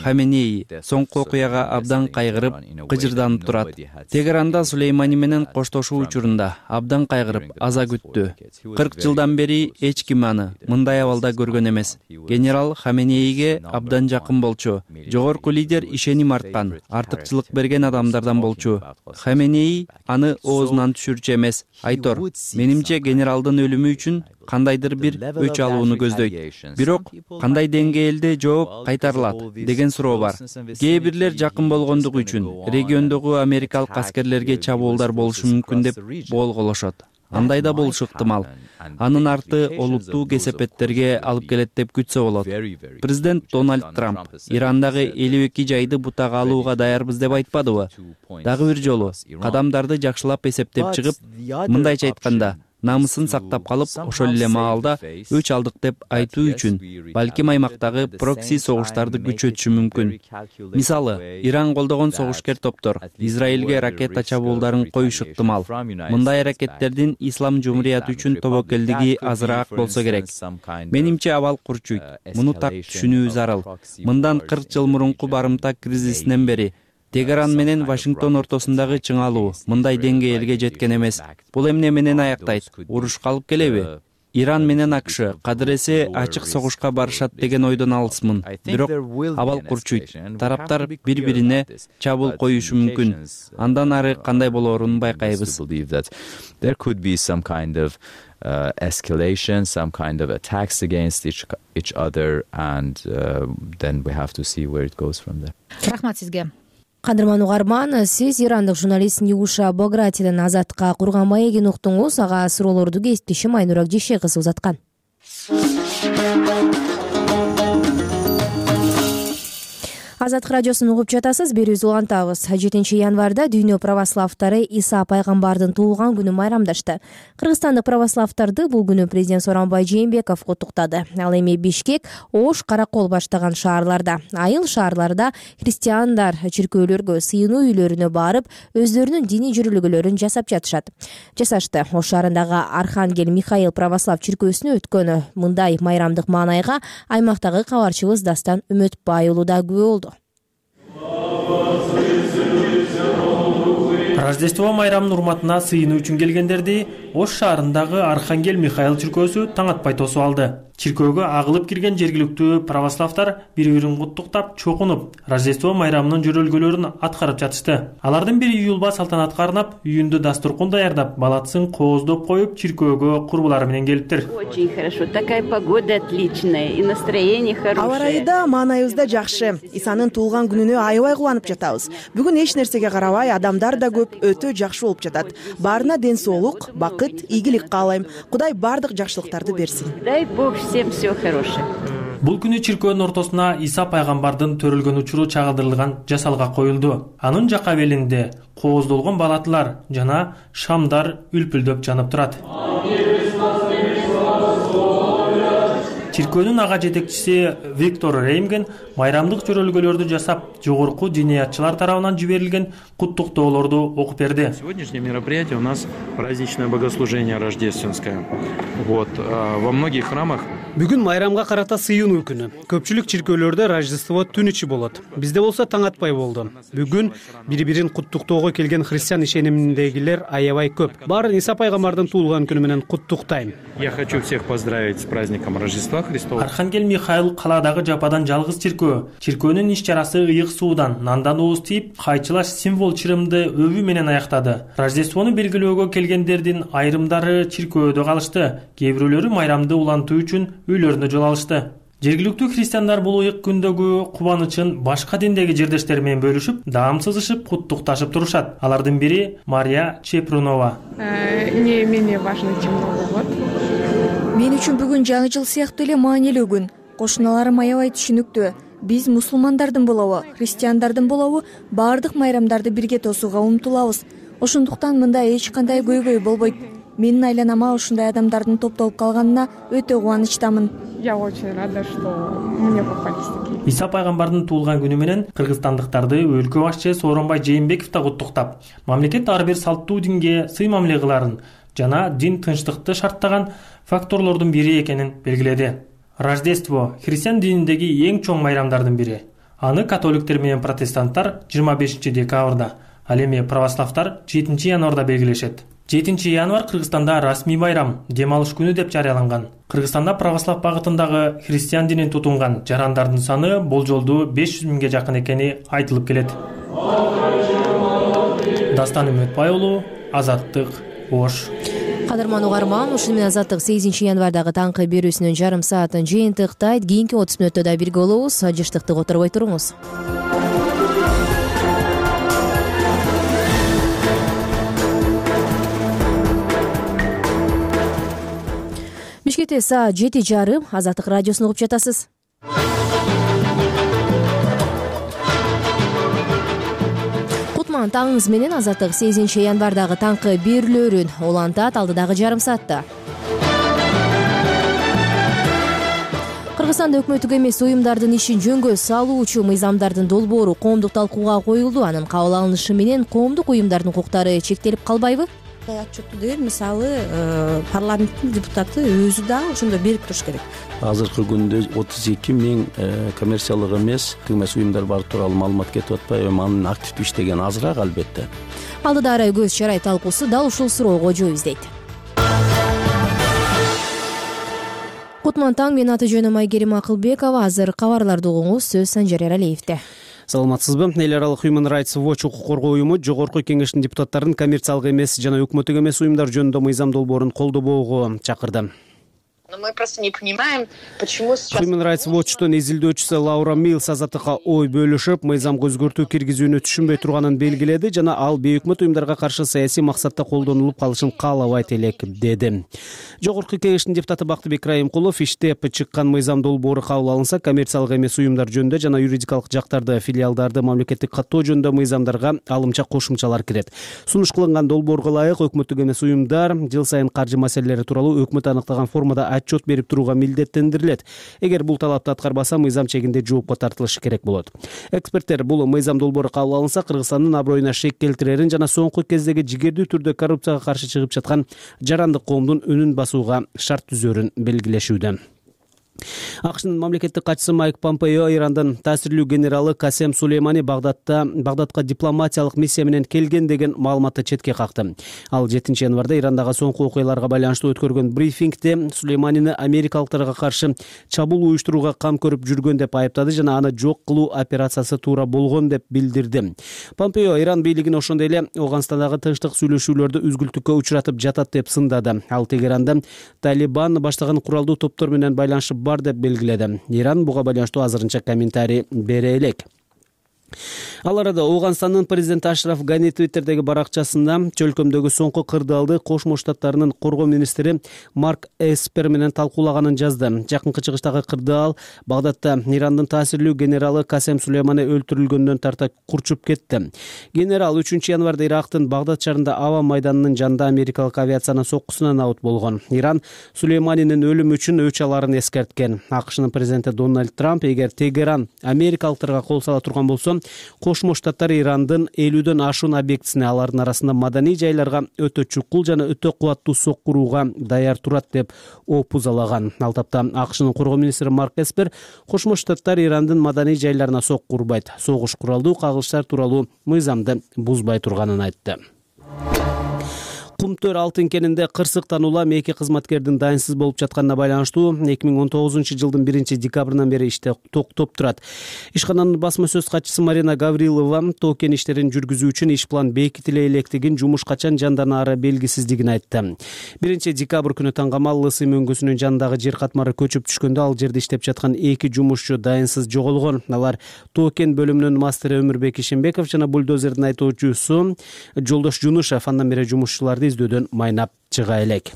Хаменеи соңку окуяга абдан кайгырып, кыжырданып турат. Тегеранда Сулеймани менен коштошуу учурунда абдан кайгырып, аза күттү. кырк жылдан бери эч ким аны мындай абалда көргөн эмес. Генерал Хаменеиге абдан жакын болчу. Жогорку лидер ишеним арткан, артыкчылык берген адамдардан болчу. Хаменеи аны оозунан түшүрчү эмес. Айтор, менимче генералдын өлүмү үчүн кандайдыр бир өч алууну көздөйт. Бирок кандай деңгээлде жооп кайтарылат деген суроо бар. Кээ бирлер жакын болгондугу үчүн региондогу америкалык аскерлерге чабуулдар болушу мүмкүн деп болголошот. Андай да болушу ыктымал. Анын арты олуттуу кесепеттерге алып келет деп күтсө болот. Президент Дональд Трамп Ирандагы элүү эки жайды бутага алууга даярбыз деп айтпадыбы? Дагы бир жолу кадамдарды жакшылап эсептеп чыгып, мындайча айтканда, намысын сактап калып, ошол эле маалда өч алдык деп айтуу үчүн балким аймактагы прокси согуштарды күчөтүшү мүмкүн. Мисалы, Иран колдогон согушкер топтор Израилге ракета чабуулдарын коюшу ыктымал. Мындай аракеттердин ислам жумурияты үчүн тобокелдиги азыраак болсо керек. Менимче абал курчуйт. Муну так түшүнүү зарыл. Мындан кырк жыл мурунку барымта кризисинен бери Тегеран менен Вашингтон ортосундагы чыңалуу мындай деңгээлге жеткен эмес. Бул эмне менен аяктайт? Уруш калып келеби? Иран менен АКШ кадыресе ачык согушка барышат деген ойдон алысмын. Бирок абал курчуйт. Тараптар бири-бирине чабуул коюшу мүмкүн. Андан ары кандай болоорун байкайбыз. There could be some kind of uh, escalation, some kind of attacks against each, each other, and uh, then we have to see where it goes from there. Рахмат сизге. Кадырман угарман, сиз ирандык журналист Нигуша Богратиден Азатка курган маегин уктуңуз. Ага суроолорду кесиптешим Айнура Жеше кызы узаткан. Азаттык радиосун угуп жатасыз. Берүүбүздү улантабыз. жетинчи январда дүйнө православтары Иса пайгамбардын туулган күнүн майрамдашты. Кыргызстандык православтарды бул күнү президент Сооронбай Жээнбеков куттуктады. Ал эми Бишкек, Ош, Каракол баштаган шаарларда, айыл шаарларда христиандар чиркөөлөргө, сыйынуу үйлөрүнө барып, өздөрүнүн диний жүрүлгөлөрүн жасап жатышат. Жасашты. Ош шаарындагы Архангел Михаил православ чиркөөсүнө өткөн мындай майрамдык маанайга аймактагы кабарчыбыз Дастан Үмөтбай уулу да күбө болду. Рождество майрамынын урматына сыйынуу үчүн келгендерди Ош шаарындагы Архангел Михаил чиркөөсү таң атпай тосуп алды. Чиркөөгө агылып кирген жергиликтүү православтар бири-бирин куттуктап, чокунуп, Рождество майрамынын жөрөлгөлөрүн аткарып жатышты. Алардын бири юлба салтанатка арнап, үйүндө дастуркун даярдап, балатсын кооздоп коюп, чиркөөгө курбулары менен келиптир. Очень хорошо, такая погода отличная и настроение хорошее. Аба ырайы да, маанайыбыз да жакшы. Исанын туулган күнүнө аябай кубанып жатабыз. Бүгүн эч нерсеге карабай, адамдар да көп, өтө жакшы болуп жатат. Баарына ден соолук, бакыт, ийгилик каалайм. Кудай бардык жакшылыктарды берсин. Дай Бог всем все хорошее. Бул күнү чиркөөнүн ортосуна Иса пайгамбардын төрөлгөн учуру чагылдырылган жасалга коюлду. Анын жак абелинде кооздолгон балатылар жана шамдар үлпүлдөп жанып турат. Чиркөөнүн ага жетекчиси Виктор Реймген майрамдык жөрөлгөлөрдү жасап, жогорку диниятчылар тарабынан жиберилген куттуктоолорду окуп берди. Сегодняшнее мероприятие у нас праздничное богослужение рождественское. Вот во многих храмах. Бүгүн майрамга карата сыйынуу күнү. Көпчүлүк чиркөөлөрдө Рождество түн ичи болот. Бизде болсо таң атпай болду. Бүгүн бири-бирин куттуктоого келген христиан ишениминдегилер аябай көп. Баарын Иса пайгамбардын туулган күнү менен куттуктайм. Я хочу всех поздравить с праздником Рождества Христова. Архангел Михаил калаадагы жападан жалгыз чиркөө. Чиркөөнүн иш чарасы ыйык суудан, нандан ооз тийип, кайчылаш символ чырымды өбү менен аяктады. Рождествону белгилөөгө келгендердин айрымдары чиркөөдө калышты. Кээ бирөөлөрү майрамды улантуу үчүн үйлөрүнө жол алышты. Жергиликтүү христиандар бул ыйык күндөгү кубанычын башка диндеги жердештери менен бөлүшүп, даамсызышып, куттукташып турушат. Алардын бири Мария Чепрунова. Не менее важный, чем Новый год. Мен үчүн бүгүн жаңы жыл сыяктуу эле маанилүү күн. Кошуналарым аябай түшүнүктүү. Биз мусулмандардын болобу, христиандардын болобу, баардык майрамдарды бирге тосууга умтулабыз. Ошондуктан мында эч кандай көйгөй болбойт. Менин айланама ушундай адамдардын топтолуп калганына өтө кубанычтамын. Я очень рада, что мне попались такие. Иса пайгамбардын туулган күнү менен кыргызстандыктарды өлкө башчысы Сооронбай Жээнбеков да куттуктап, мамлекет ар бир салттуу динге сый мамиле кыларын жана дин тынчтыкты шарттаган факторлордун бири экенин белгиледи. Рождество христиан дининдеги эң чоң майрамдардын бири. Аны католиктер менен протестанттар жыйырма бешинчи декабрда, ал эми православтар жетинчи январда белгилешет. жетинчи январь Кыргызстанда расмий байрам, дем алыш күнү деп жарыяланган. Кыргызстанда православ багытындагы христиан динин тутунган жарандардын саны болжолдуу беш жүз миңге жакын экени айтылып келет. Дастан Үмөтбай уулу, Азаттык, Ош. Кадырман угарман, ушуну менен Азаттык сегизинчи январдагы таңкы берүүсүнүн жарым саатын жыйынтыктайт. Кийинки отуз мүнөттө да бирге болобуз. Жыштыкты которбой туруңуз. Бишкекте саат жети жарым. Азаттык радиосун угуп жатасыз. Кутман таңыңыз менен. Азаттык сегизинчи январдагы таңкы берүүлөрүн улантат алдыдагы жарым саатта. Кыргызстанда өкмөттүк эмес уюмдардын ишин жөнгө салуучу мыйзамдардын долбоору коомдук талкууга коюлду. Анын кабыл алынышы менен коомдук уюмдардын укуктары чектелип калбайбы? Отчетту деген мисалы парламенттин депутаты өзү да ошондо берип туруш керек. Азыркы күндө отуз эки миң коммерциялык эмес эмес уюмдар бар тууралуу маалымат кетип атпайбы? Анын активдүү иштеген азыраак албетте. Алдыда көз чарай талкуусу дал ушул суроого жооп издейт. Кутман таң, мен аты жөнүм Айгерим Акылбекова. Азыр кабарларды угуңуз. Сөз Санжар Эралиевде. Саламатсызбы? Эл аралык Human Rights Watch укук коргоо уюму жогорку кеңештин депутаттарын коммерциялык эмес жана өкмөттүк эмес уюмдар жөнүндө мыйзам долбоорун колдобоого чакырды. Но мы просто не понимаем, почему сейчас... Human Rights Watch'тун изилдөөчүсү Лаура Милс Азаттыкка ой бөлүшүп, мыйзамга өзгөртүү киргизүүнү түшүнбөй турганын белгиледи жана ал бейөкмөт уюмдарга каршы саясий максатта колдонулуп калышын каалабайт элек деди. Жогорку кеңештин депутаты Бактыбек Райымкулов иштеп чыккан мыйзам долбоору кабыл алынса, коммерциялык эмес уюмдар жөнүндө жана юридикалык жактарды, филиалдарды мамлекеттик каттоо жөнүндө мыйзамдарга алымча кошумчалар кирет. Сунуш кылынган долбоорго ылайык өкмөттүк эмес уюмдар жыл сайын каржы маселелери тууралуу өкмөт аныктаган формада отчет берип турууга милдеттендирилет. Эгер бул талапты аткарбаса, мыйзам чегинде жоопко тартылышы керек болот. Эксперттер бул мыйзам долбоору кабыл алынса, Кыргызстандын аброюна шек келтирерин жана соңку кездеги жигердүү түрдө коррупцияга каршы чыгып жаткан жарандык коомдун үнүн басууга шарт түзөрүн белгилешүүдө. АКШнын мамлекеттик катчысы Майк Помпео Ирандын таасирлүү генералы Касем Сулеймани Багдадта Багдадка дипломатиялык миссия менен келген деген маалыматты четке какты. Ал жетинчи январда Ирандагы соңку окуяларга байланыштуу өткөргөн брифингде Сулейманини америкалыктарга каршы чабуул уюштурууга кам көрүп жүргөн деп айыптады жана аны жок кылуу операциясы туура болгон деп билдирди. Помпео Иран бийлигин ошондой эле Афганстандагы тынчтык сүйлөшүүлөрдү үзгүлтүккө учуратып жатат деп сындады. Ал Тегеранда Талибан баштаган куралдуу топтор менен байланышы бар деп белгиледи. Иран буга байланыштуу азырынча комментарий бере элек. Ал арада Афганстандын президенти Ашраф Гани Твиттердеги баракчасында чөлкөмдөгү соңку кырдаалды Кошмо Штаттарынын коргоо министри Марк Эспер менен талкуулаганын жазды. Жакынкы чыгыштагы кырдаал Багдадта Ирандын таасирлүү генералы Касем Сулеймани өлтүрүлгөндөн тарта курчуп кетти. Генерал үчүнчү январда Ирактын Багдад шаарында аба майданынын жанында америкалык авиациянын соккусунан абут болгон. Иран Сулейманинин өлүмү үчүн өч аларын эскерткен. АКШнын президенти Дональд Трамп эгер Тегеран америкалыктарга кол сала турган болсо, Кошмо Штаттар Ирандын элүүдөн ашуун объектисине, алардын арасында маданий жайларга өтө чукул жана өтө кубаттуу соккурууга даяр турат деп опузалаган. Ал тапта АКШнын коргоо министри Марк Эспер Кошмо Штаттар Ирандын маданий жайларына соккурбайт, согуш куралдуу кагылыштар тууралуу мыйзамды бузбай турганын айтты. Кумтөр алтын кенинде кырсыктан улам эки кызматкердин дайынсыз болуп жатканына байланыштуу эки миң он тогузунчу жылдын биринчи декабрынан бери иште токтоп турат. Ишкананын басма сөз катчысы Марина Гаврилова тоо кен иштерин жүргүзүү үчүн иш план бекитиле электигин, жумуш качан жанданаары белгисиздигин айтты. биринчи декабрь күнү таңгамал Лысый мөңгүсүнүн жанындагы жер катмары көчүп түшкөндө ал жерде иштеп жаткан эки жумушчу дайынсыз жоголгон. Алар тоо кен бөлүмүнүн мастери Өмүрбек Ишенбеков жана бульдозердин айтуучусу Жолдош Жунушев. Андан бери жумушчуларды издөөдөн майнап чыга элек.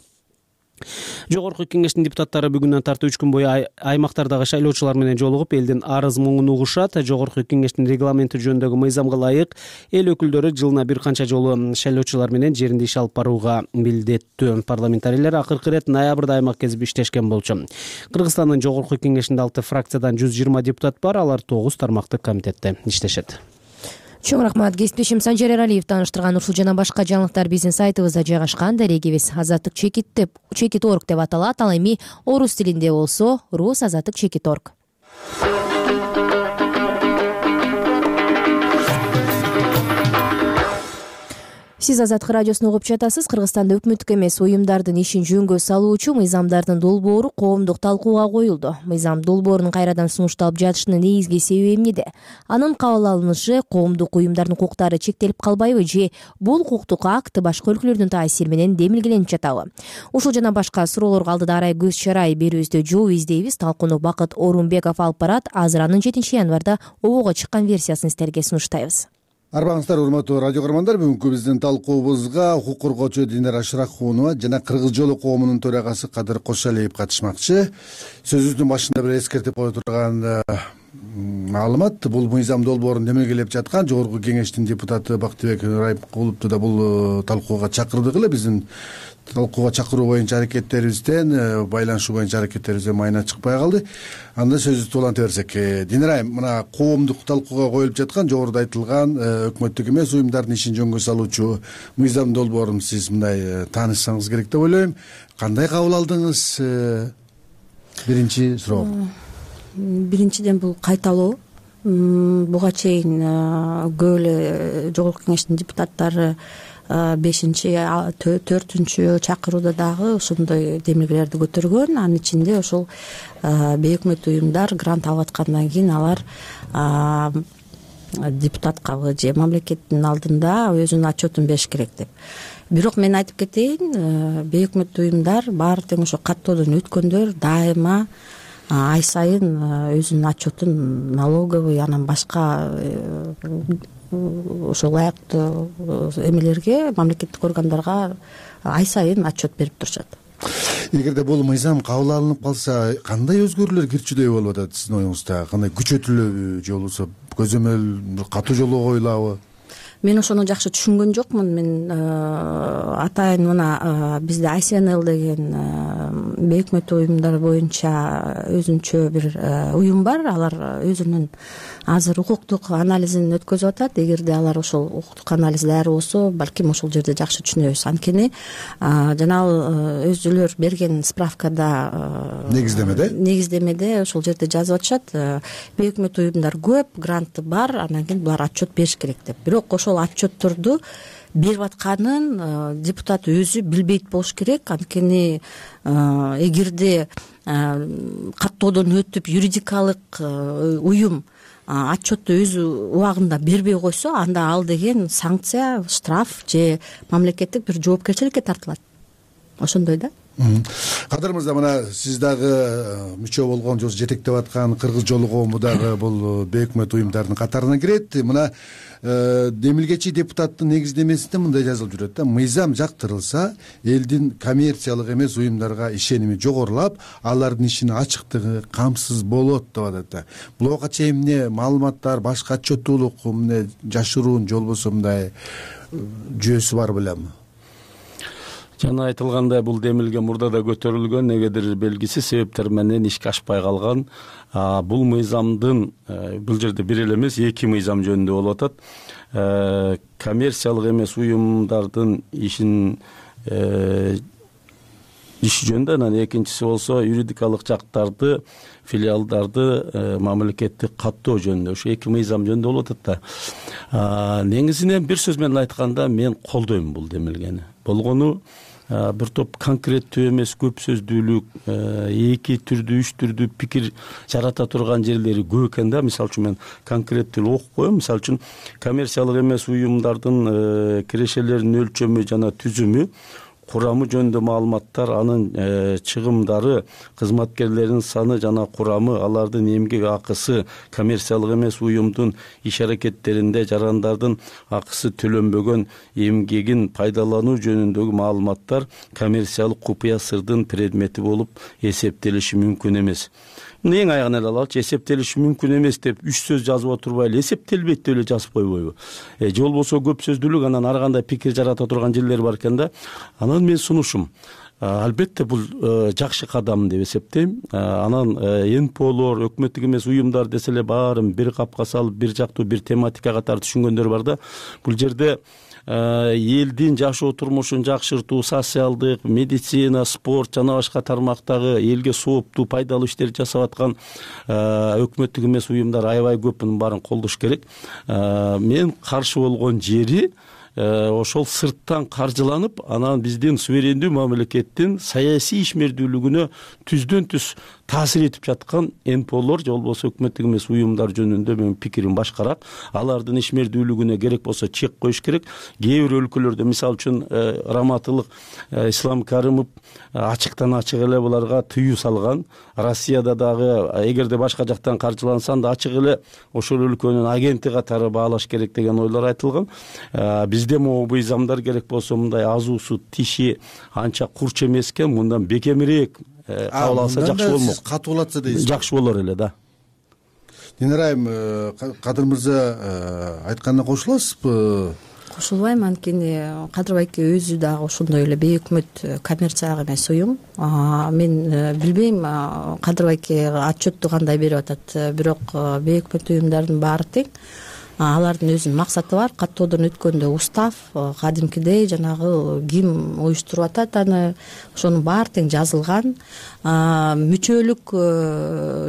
Жогорку кеңештин депутаттары бүгүндөн тартып үч күн бою аймактардагы шайлоочулар менен жолугуп, элдин арыз муңун угушат. Жогорку кеңештин регламенти жөнүндөгү мыйзамга ылайык эл өкүлдөрү жылына бир канча жолу шайлоочулар менен жеринде иш алып барууга милдеттүү. Парламентарийлер акыркы ирет ноябрда аймак кезип иштешкен болчу. Кыргызстандын жогорку кеңешинде алты фракциядан жүз жыйырма депутат бар, алар тогуз тармактык комитетте иштешет. чоң рахмат. Кесиптешим Санжар Эралиев тааныштырган ушул жана башка жаңылыктар биздин сайтыбызда жайгашкан. Дарегибиз азаттык чекит деп чекит орг деп аталат. Ал эми орус тилинде болсо рус азаттык чекит орг. Сиз Азаттык радиосун угуп жатасыз. Кыргызстанда өкмөттүк эмес уюмдардын ишин жөнгө салуучу мыйзамдардын долбоору коомдук талкууга коюлду. Мыйзам долбоорунун кайрадан сунушталып жатышынын негизги себеби эмнеде? Анын кабыл алынышы коомдук уюмдардын укуктары чектелип калбайбы же бул укуктук акт башка өлкөлөрдүн таасири менен демилгеленип жатабы? Ушул жана башка суроолорго алдыда арай көз чарай берүүбүздө жооп издейбиз. Талкууну Бакыт Орунбеков алып барат. Азыр анын жетинчи январда обого чыккан версиясын сиздерге сунуштайбыз. Арбаңыздар, урматтуу радио көрөрмандар, бүгүнкү биздин талкуубузга укук коргоочу Динара Шыракунова жана Кыргыз жолу коомунун төрагасы Кадыр Кошалиев катышмакчы. Сөзүбүздүн башында бир эскертип кое турган маалымат, бул мыйзам долбоорун демилгелеп жаткан жогорку кеңештин депутаты Бактыбек Райыпкуловду да бул талкууга чакырдык эле. Биздин талкууга чакыруу боюнча аракеттерибизден, байланышуу боюнча аракеттерибизден майына чыкпай калды. Анда сөзүбүздү уланта берсек. Динара, мына коомдук талкууга коюлуп жаткан жогоруда айтылган өкмөттүк эмес уюмдардын ишин жөнгө салуучу мыйзам долбоорун сиз мындай таанышсаңыз керек деп ойлойм. Кандай кабыл алдыңыз? Биринчи суроо. Биринчиден бул кайталоо. Буга чейин көп эле жогорку кеңештин депутаттары бешинчи төртүнчү чакырууда дагы ошондой демилгелерди көтөргөн. Анын ичинде ошол бейөкмөттүү уюмдар грант алып аткандан кийин алар депутаткабы же мамлекеттин алдында өзүнүн отчетун бериш керек деп. Бирок мен айтып кетейин, бейөкмөттүү уюмдар баары тең ошо каттоодон өткөндөр дайыма ай сайын өзүнүн отчетун налоговый анан башка ошол ылайыктуу эмелерге, мамлекеттик органдарга ай сайын отчет берип турушат. Эгерде бул мыйзам кабыл алынып калса, кандай өзгөрүүлөр кирчүдөй болуп атат сиздин оюңузда? Кандай күчөтүлөбү же болбосо көзөмөл катуу жолго коюлабы? Мен ошону жакшы түшүнгөн жокмун. Мен атайын мына бизде ай си эн эл деген бейөкмөттүү уюмдар боюнча өзүнчө бир уюм бар. Алар өзүнүн азыр укуктук анализин өткөзүп атат. Эгерде алар ошол укуктук анализ даяр болсо, балким ошол жерде жакшы түшүнөбүз. Анткени жанагы өзүлөр берген справкада негиздемеде негиздемеде ошол жерде жазып атышат. Бейөкмөттүү уюмдар көп, гранты бар, анан кийин булар отчет бериш керек деп. Бирок ошол отчетторду берип атканын депутат өзү билбейт болуш керек. Анткени эгерде каттоодон өтүп юридикалык уюм отчетту өз убагында бербей койсо, анда ал деген санкция, штраф же мамлекеттик бир жоопкерчиликке тартылат. Ошондой да. Кадыр мырза, мына сиз дагы мүчө болгон же жетектеп аткан Кыргыз жолу коому дагы бул бейөкмөт уюмдардын катарына кирет. Мына демилгечи депутаттын негиздемесинде мындай жазылып жүрөт да: мыйзам жактырылса, элдин коммерциялык эмес уюмдарга ишеними жогорулап, алардын ишинин ачыктыгы камсыз болот деп атат да. Буга чейин эмне маалыматтар, башка отчеттуулук, эмне жашыруун же болбосо мындай жүйөсү бар белем? Жана айтылгандай, бул демилге мурда да көтөрүлгөн, негедир белгисиз себептер менен ишке ашпай калган. Бул мыйзамдын бул жерде бир эле эмес, эки мыйзам жөнүндө болуп атат. Коммерциялык эмес уюмдардын ишин иш жөнүндө, анан экинчиси болсо юридикалык жактарды, филиалдарды мамлекеттик каттоо жөнүндө. Ошо эки мыйзам жөнүндө болуп атат да. Негизинен бир сөз менен айтканда мен колдойм бул демилгени. Болгону бир топ конкреттүү эмес, көп сөздүүлүк, эки түрдүү, үч түрдүү пикир жарата турган жерлери көп экен да. Мисалы үчүн мен конкреттүү окуп коем. Мисалы үчүн коммерциялык эмес уюмдардын кирешелеринин өлчөмү жана түзүмү, курамы жөнүндө маалыматтар, анын чыгымдары, кызматкерлердин саны жана курамы, алардын эмгек акысы, коммерциялык эмес уюмдун иш аракеттеринде жарандардын акысы төлөнбөгөн эмгегин пайдалануу жөнүндөгү маалыматтар коммерциялык купуя сырдын предмети болуп эсептелиши мүмкүн эмес. Эң аягын эле алалычы, эсептелиши мүмкүн эмес деп үч сөз жазып отурбай эле эсептелбейт деп эле жазып койбойбу? Же болбосо көп сөздүүлүк, анан ар кандай пикир жарата турган жерлер бар экен да. Анан мен сунушум, албетте бул жакшы кадам деп эсептейм. Анан эн пэ олор, өкмөттүк эмес уюмдар десе эле баарын бир капка салып, бир жактуу бир тематикага түшүнгөндөр бар да. Бул жерде элдин жашоо турмушун жакшыртуу, социалдык, медицина, спорт жана башка тармактагы элге сооптуу, пайдалуу иштерди жасап аткан өкмөттүк эмес уюмдар аябай көп, мунун баарын колдош керек. Мен каршы болгон жери ошол сырттан каржыланып, анан биздин суверендүү мамлекеттин саясий ишмердүүлүгүнө түздөн түз таасир этип жаткан эн пэ олор же болбосо өкмөттүк эмес уюмдар жөнүндө менин пикирим башкараак. Алардын ишмердүүлүгүнө керек болсо чек коюш керек. Кээ бир өлкөлөрдө, мисалы үчүн Раматылык Ислам Каримов ачыктан ачык эле буларга тыюу салган. Россияда дагы эгерде башка жактан каржылансан да ачык эле ошол өлкөнүн агенти катары баалаш керек деген ойлор айтылган. Бизде могу мыйзамдар керек болсо мындай азуусу тиши анча курч эмес экен, мындан бекемирээк кабыл алса жакшы болмок. Катуу болотса дейсиз. Жакшы болор эле да. Динара айым, Кадыр мырза айтканына кошуласызбы? Кошулбайм, анткени Кадыр байке өзү дагы ошондой эле бейөкмөт коммерциялык эмес уюм. Мен билбейм Кадыр байке отчетту кандай берип атат, бирок бейөкмөт уюмдардын баары тең. Алардын өзүнүн максаты бар. Каттоодон өткөндө устав кадимкидей жанагы ким уюштуруп атат аны, ошонун баары тең жазылган. Мүчөлүк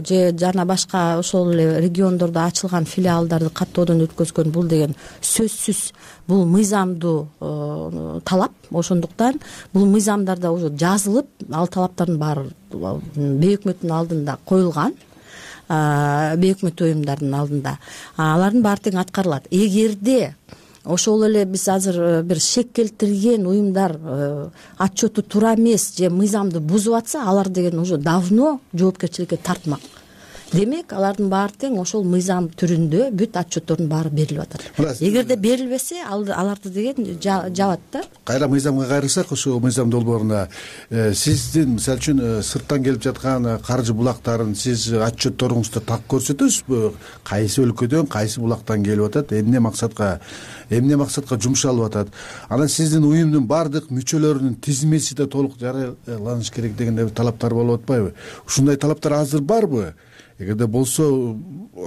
же жана башка ошол эле региондордо ачылган филиалдарды каттоодон өткөзгөн бул деген сөзсүз бул мыйзамдуу талап. Ошондуктан бул мыйзамдарда уже жазылып, ал талаптардын баары бейөкмөттүн алдында коюлган. Бейөкмөт уюмдардын алдында алардын баары тең аткарылат. Эгерде ошол эле биз азыр бир шек келтирген уюмдар отчету туура эмес же мыйзамды бузуп атса, алар деген уже давно жоопкерчиликке тартмак. Демек, алардын баары тең ошол мыйзам түрүндө бүт отчеттордун баары берилип атат. Эгерде берилбесе, аларды деген жабат да. Кайра мыйзамга кайрылсак, ошол мыйзам долбооруна сиздин мисалы үчүн сырттан келип жаткан каржы булактарын сиз отчетторуңузда так көрсөтөсүзбү? Кайсы өлкөдөн, кайсы булактан келип атат, эмне максатка, эмне максатка жумшалып атат? Анан сиздин уюмдун баардык мүчөлөрүнүн тизмеси да толук жарыяланыш керек деген талаптар болуп атпайбы? Ушундай талаптар азыр барбы? Эгерде болсо,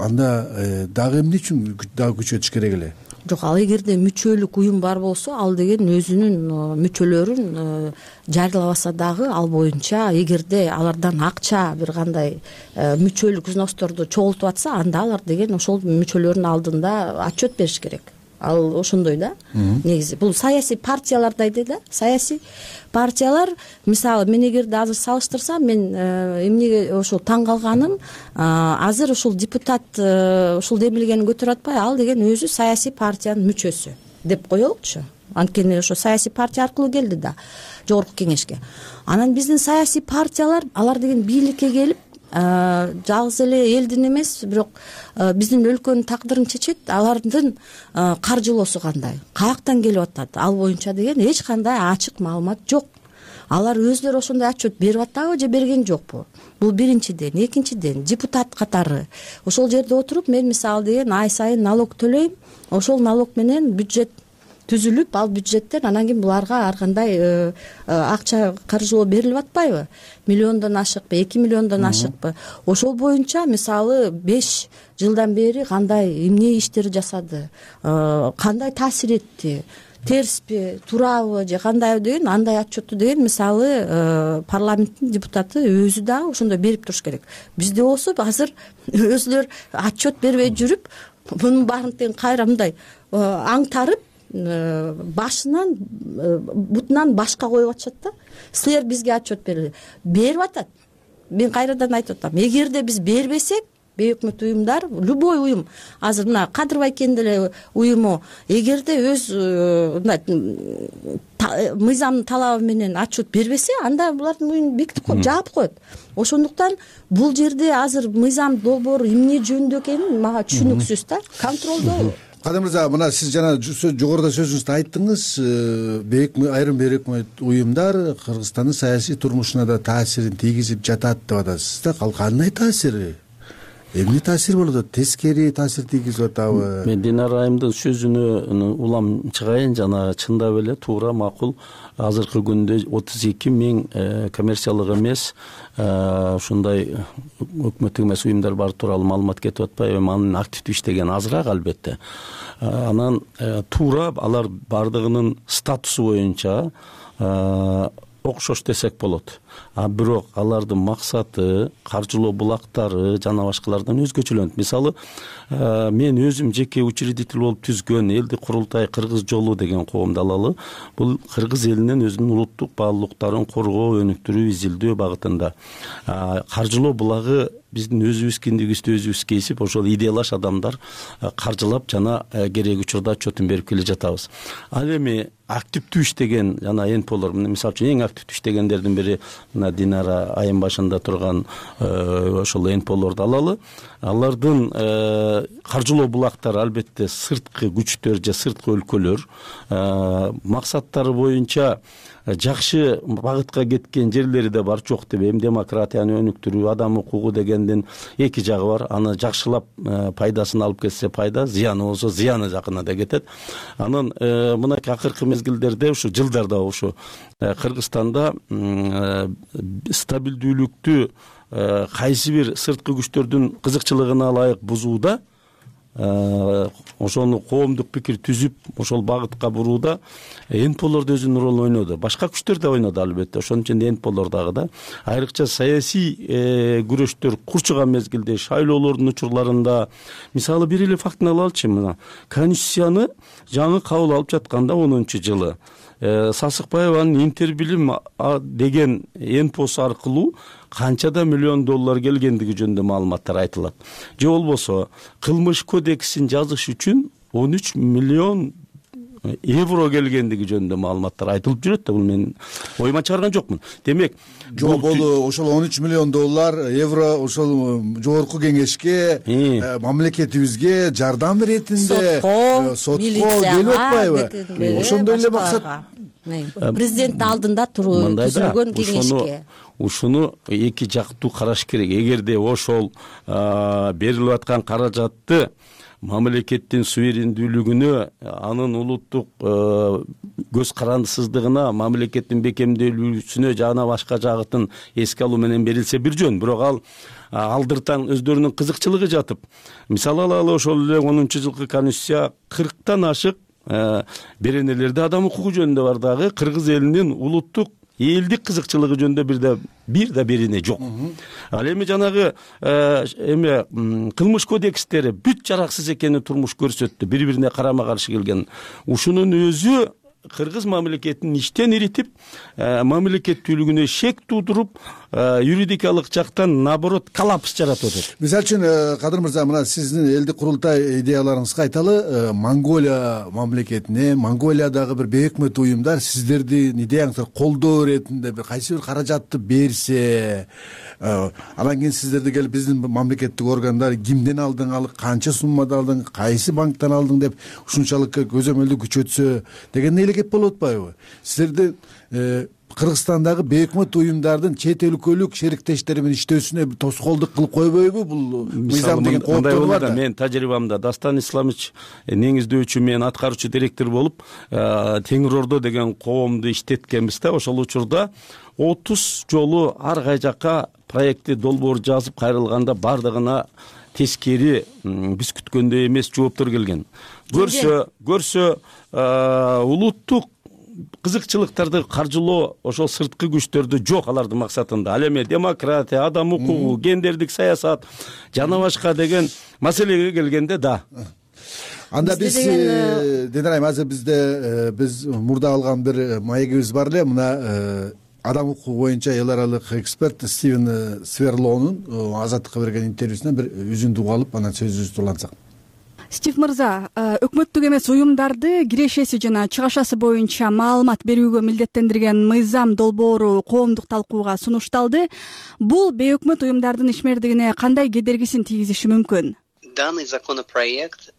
анда дагы эмне үчүн дагы күчөтүш керек эле? Жок, ал эгерде мүчөлүк уюм бар болсо, ал деген өзүнүн мүчөлөрүн жарыялабаса дагы ал боюнча, эгерде алардан акча бир кандай мүчөлүк взносторду чогултуп атса, анда алар деген ошол мүчөлөрдүн алдында отчет бериш керек. Ал ошондой да. Негизи бул саясий партиялар дейт да. Саясий партиялар, мисалы, мен эгерде азыр салыштырсам, мен эмнеге ошол таң калганым, азыр ошол депутат ушул демилгени көтөрүп атпай, ал деген өзү саясий партиянын мүчөсү деп коелучу. Анткени ошо саясий партия аркылуу келди да жогорку кеңешке. Анан биздин саясий партиялар, алар деген бийликке келип, жалгыз эле элдин эмес, бирок биздин өлкөнүн тагдырын чечет. Алардын каржылоосу кандай, каяктан келип атат, ал боюнча деген эч кандай ачык маалымат жок. Алар өзлөрү ошондой отчет берип атабы же берген жокпу? Бул биринчиден. Экинчиден, депутат катары ошол жерде отуруп, мен мисалы деген ай сайын налог төлөйм, ошол налог менен бюджет түзүлүп, ал бюджеттен анан кийин буларга ар кандай акча каржылоо берилип атпайбы? Миллиондон ашыкпы, эки миллиондон ашыкпы? Ошол боюнча мисалы беш жылдан бери кандай эмне иштер жасады, кандай таасир этти, терспи, туурабы же кандайбы деген андай отчетту деген мисалы парламенттин депутаты өзү дагы ошондой берип туруш керек. Бизде болсо азыр өзүлөр отчет бербей жүрүп, мунун баарын тең кайра мындай аңтарып, башынан бутунан башка коюп атышат да. Силер бизге отчет берили. Берип атат. Мен кайрадан айтып атам. Эгерде биз бербесек, бейөкмөт уюмдар, любой уюм, азыр мына Кадыр байкенин деле уюму, эгерде өз мыйзамдын талабы менен отчет бербесе, анда булардын уюмун бекитип коюп, жаап коет. Ошондуктан бул жерде азыр мыйзам долбоору эмне жөнүндө экени мага түшүнүксүз да. Контролдо. Кадыр мырза, мына сиз жана жогоруда сөзүңүздө айттыңыз, айрым бейөкмөт уюмдар Кыргызстандын саясий турмушуна да таасирин тийгизип жатат деп атасыз да. Ал кандай таасири? эмне таасир болуп атат, тескери таасир тийгизип атабы? Мен Динара айымдын сөзүнө улам чыгайын, жана чындап эле туура, макул. Азыркы күндө отуз эки миң коммерциялык эмес ушундай өкмөттүк эмес уюмдар бар тууралуу маалымат кетип атпайбы? Эми анын активдүү иштеген азыраак албетте. Анан туура алар бардыгынын статусу боюнча окшош десек болот. А бирок алардын максаты, каржылоо булактары жана башкалардан өзгөчөлөнөт. Мисалы, мен өзүм жеке учредитель болуп түзгөн Элдик курултай Кыргыз жолу деген коомду алалы. Бул кыргыз элинин өзүнүн улуттук баалуулуктарын коргоо, өнүктүрүү, изилдөө багытында. Каржылоо булагы биздин өзүбүз киндигибизди өзүбүз кесип, ошол идеялаш адамдар каржылап жана керек учурда отчетун берип келе жатабыз. Ал эми активдүү иштеген жана энполор, мисалы үчүн эң активдүү иштегендердин бири мына Динара айым башында турган ошол энполорду алалы. Алардын каржылоо булактары албетте сырткы күчтөр же сырткы өлкөлөр максаттары боюнча жакшы багытка кеткен жерлери да бар, жок дебейм. Демократияны өнүктүрүү, адам укугу дегендин эки жагы бар. Аны жакшылап пайдасын алып келсе пайда, зыяны болсо зыяны жакына да кетет. Анан мынакей акыркы мезгилдерде ушу жылдарда ушу Кыргызстанда стабилдүүлүктү кайсы бир сырткы күчтөрдүн кызыкчылыгына ылайык бузууда, ошону коомдук пикир түзүп, ошол багытка бурууда энполор да өзүнүн ролун ойноду. Башка күчтөр да ойноду албетте. Ошонун ичинде энполор дагы да. Айрыкча саясий күрөштөр курчуган мезгилде, шайлоолордун учурларында, мисалы бир эле фактыны алалычы, мына Конституцияны жаңы кабыл алып жатканда онунчу жылы Сасыкбаеванын Интербилим деген энпосу аркылуу канчада миллион доллар келгендиги жөнүндө маалыматтар айтылат. Же болбосо кылмыш кодексин жазыш үчүн он үч миллион евро келгендиги жөнүндө маалыматтар айтылып жүрөт да, бул мен оюма чыгарган жокмун. Демек, жок, бул ошол он үч миллион доллар евро ошол жогорку кеңешке, мамлекетибизге жардам иретинде сотко келип атпайбы? Ошондой эле максат. Президенттин алдында түзүлгөн кеңешке. Ушуну эки жактуу караш керек. Эгерде ошол берилип аткан каражатты мамлекеттин суверендүүлүгүнө, анын улуттук көз карандысыздыгына, мамлекеттин бекемделүүсүнө жана башка жагытын эске алуу менен берилсе бир жөн. Бирок ал алдыртан өздөрүнүн кызыкчылыгы жатып, мисалы алалы, ошол эле онунчу жылкы Конституция кырктан ашык беренелерде адам укугу жөнүндө бар дагы кыргыз элинин улуттук элдик кызыкчылыгы жөнүндө бир да бир да берене жок. Ал эми жанагы эме кылмыш кодекстери бүт жараксыз экени турмуш көрсөттү, бири-бирине карама-каршы келген. Ушунун өзү кыргыз мамлекетин иштен иритип, мамлекеттүүлүгүнө шек туудуруп, юридикалык жактан наоборот коллапс жаратып атат. Мисалы үчүн, Кадыр мырза, мына сиздин Элдик курултай идеяларыңызга айталы, Монголия мамлекетине, Монголиядагы бир бейөкмөт уюмдар сиздердин идеяңызды колдоо иретинде бир кайсы бир каражатты берсе, анан кийин сиздерди келип биздин мамлекеттик органдар кимден алдың, ал канча суммада алдың, кайсы банктан алдың деп ушунчалык көзөмөлдү күчөтсө деген эле кеп болуп атпайбы? Силердин Кыргызстандагы бейөкмөт уюмдардын чет өлкөлүк шериктештери менен иштөөсүнө тоскоолдук кылып койбойбу бул мыйзам деген кооптор бар да? Мен тажрыйбамда Дастан Исламович негиздөөчү, мен аткаруучу директор болуп Теңир Ордо деген коомду иштеткенбиз да. Ошол учурда отуз жолу ар кай жакка проектти долбоор жазып кайрылганда бардыгына тескери, биз күткөндөй эмес жооптор келген. Көрсө, көрсө улуттук кызыкчылыктарды каржылоо ошол сырткы күчтөрдү жок алардын максатында. Ал эми демократия, адам укугу, гендердик саясат жана башка деген маселеге келгенде да. Анда биз Динара айым, азыр бизде биз мурда алган бир маегибиз бар эле. Мына адам укугу боюнча эл аралык эксперт Стивен Сверлоонун Азаттыкка берген интервьюсунан бир үзүндү угуп алып, анан сөзүбүздү улантсак. Стив мырза, өкмөттүк эмес уюмдарды кирешеси жана чыгашасы боюнча маалымат берүүгө милдеттендирген мыйзам долбоору коомдук талкууга сунушталды. Бул бейөкмөт уюмдардын ишмердигине кандай кедергисин тийгизиши мүмкүн? Данный законопроект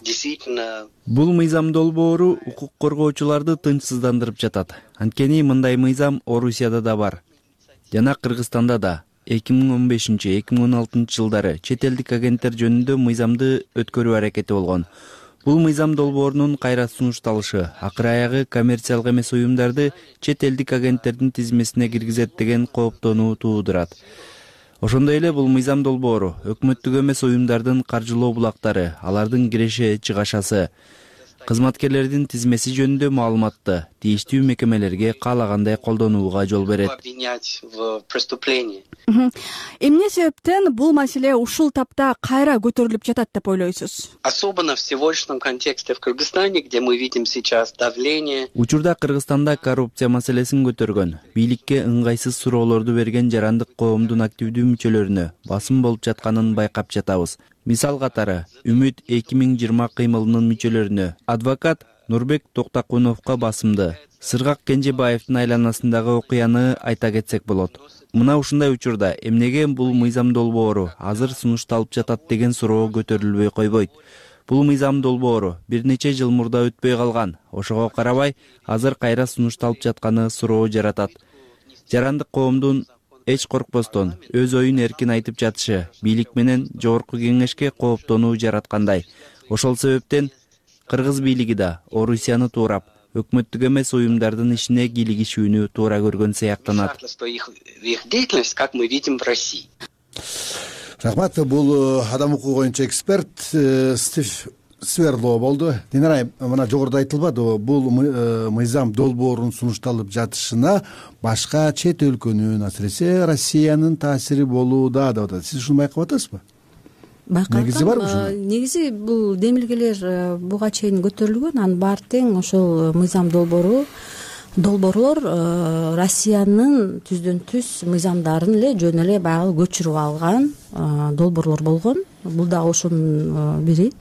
действительно... Бул мыйзам долбоору укук коргоочуларды тынчсыздандырып жатат. Анткени мындай мыйзам Орусияда да бар, жана Кыргызстанда да. эки миң он бешинчи эки миң он алтынчы жылдары чет элдик агенттер жөнүндө мыйзамды өткөрүү аракети болгон. Бул мыйзам долбоорунун кайра сунушталышы акыры аягы коммерциялык эмес уюмдарды чет элдик агенттердин тизмесине киргизет деген кооптонуу туудурат. Ошондой эле бул мыйзам долбоору өкмөттүк эмес уюмдардын каржылоо булактары, алардын киреше чыгашасы, кызматкерлердин тизмеси жөнүндө маалыматты тийиштүү мекемелерге каалагандай колдонууга жол берет. Эмне себептен бул маселе ушул тапта кайра көтөрүлүп жатат деп ойлойсуз? Особенно в сегодняшнем контексте в Кыргызстане, где мы видим сейчас давление. Учурда Кыргызстанда коррупция маселесин көтөргөн, бийликке ыңгайсыз суроолорду берген жарандык коомдун активдүү мүчөлөрүнө басым болуп жатканын байкап жатабыз. Мисал катары, Үмүт эки миң жыйырма кыймылынын мүчөлөрүнө адвокат Нурбек Токтакуновго басымды. Сыргак Кенжебаевдин айланасындагы окуяны айта кетсек болот. Мына ушундай учурда эмнеге бул мыйзам долбоору азыр сунушталып жатат деген суроо көтөрүлбөй койбойт. Бул мыйзам долбоору бир нече жыл мурда өтпөй калган. Ошого карабай, азыр кайра сунушталып жатканы суроо жаратат. Жарандык коомдун эч коркпостон өз оюн эркин айтып жатышы бийлик менен жогорку кеңешке кооптонуу жараткандай. Ошол себептен кыргыз бийлиги да Орусияны туурап, өкмөттүк эмес уюмдардын ишине кийлигишүүнү туура көргөн сыяктанат. Их деятельность, как мы видим в России. Рахмат. Бул адам укугу боюнча эксперт Стив Сверлоо болду. Динара, мына жогоруда айтылбады, бул мыйзам долбоорунун сунушталып жатышына башка чет өлкөнүн, асыресе Россиянын таасири болууда деп атат. Сиз ушуну байкап атасызбы? Байкап негизи барбы ушуна? Негизи бул демилгелер буга чейин көтөрүлгөн, анын баары тең ошол мыйзам долбоору долбоорлор Россиянын түздөн түз мыйзамдарын эле жөн эле баягы көчүрүп алган долбоорлор болгон. Бул да ошонун бири.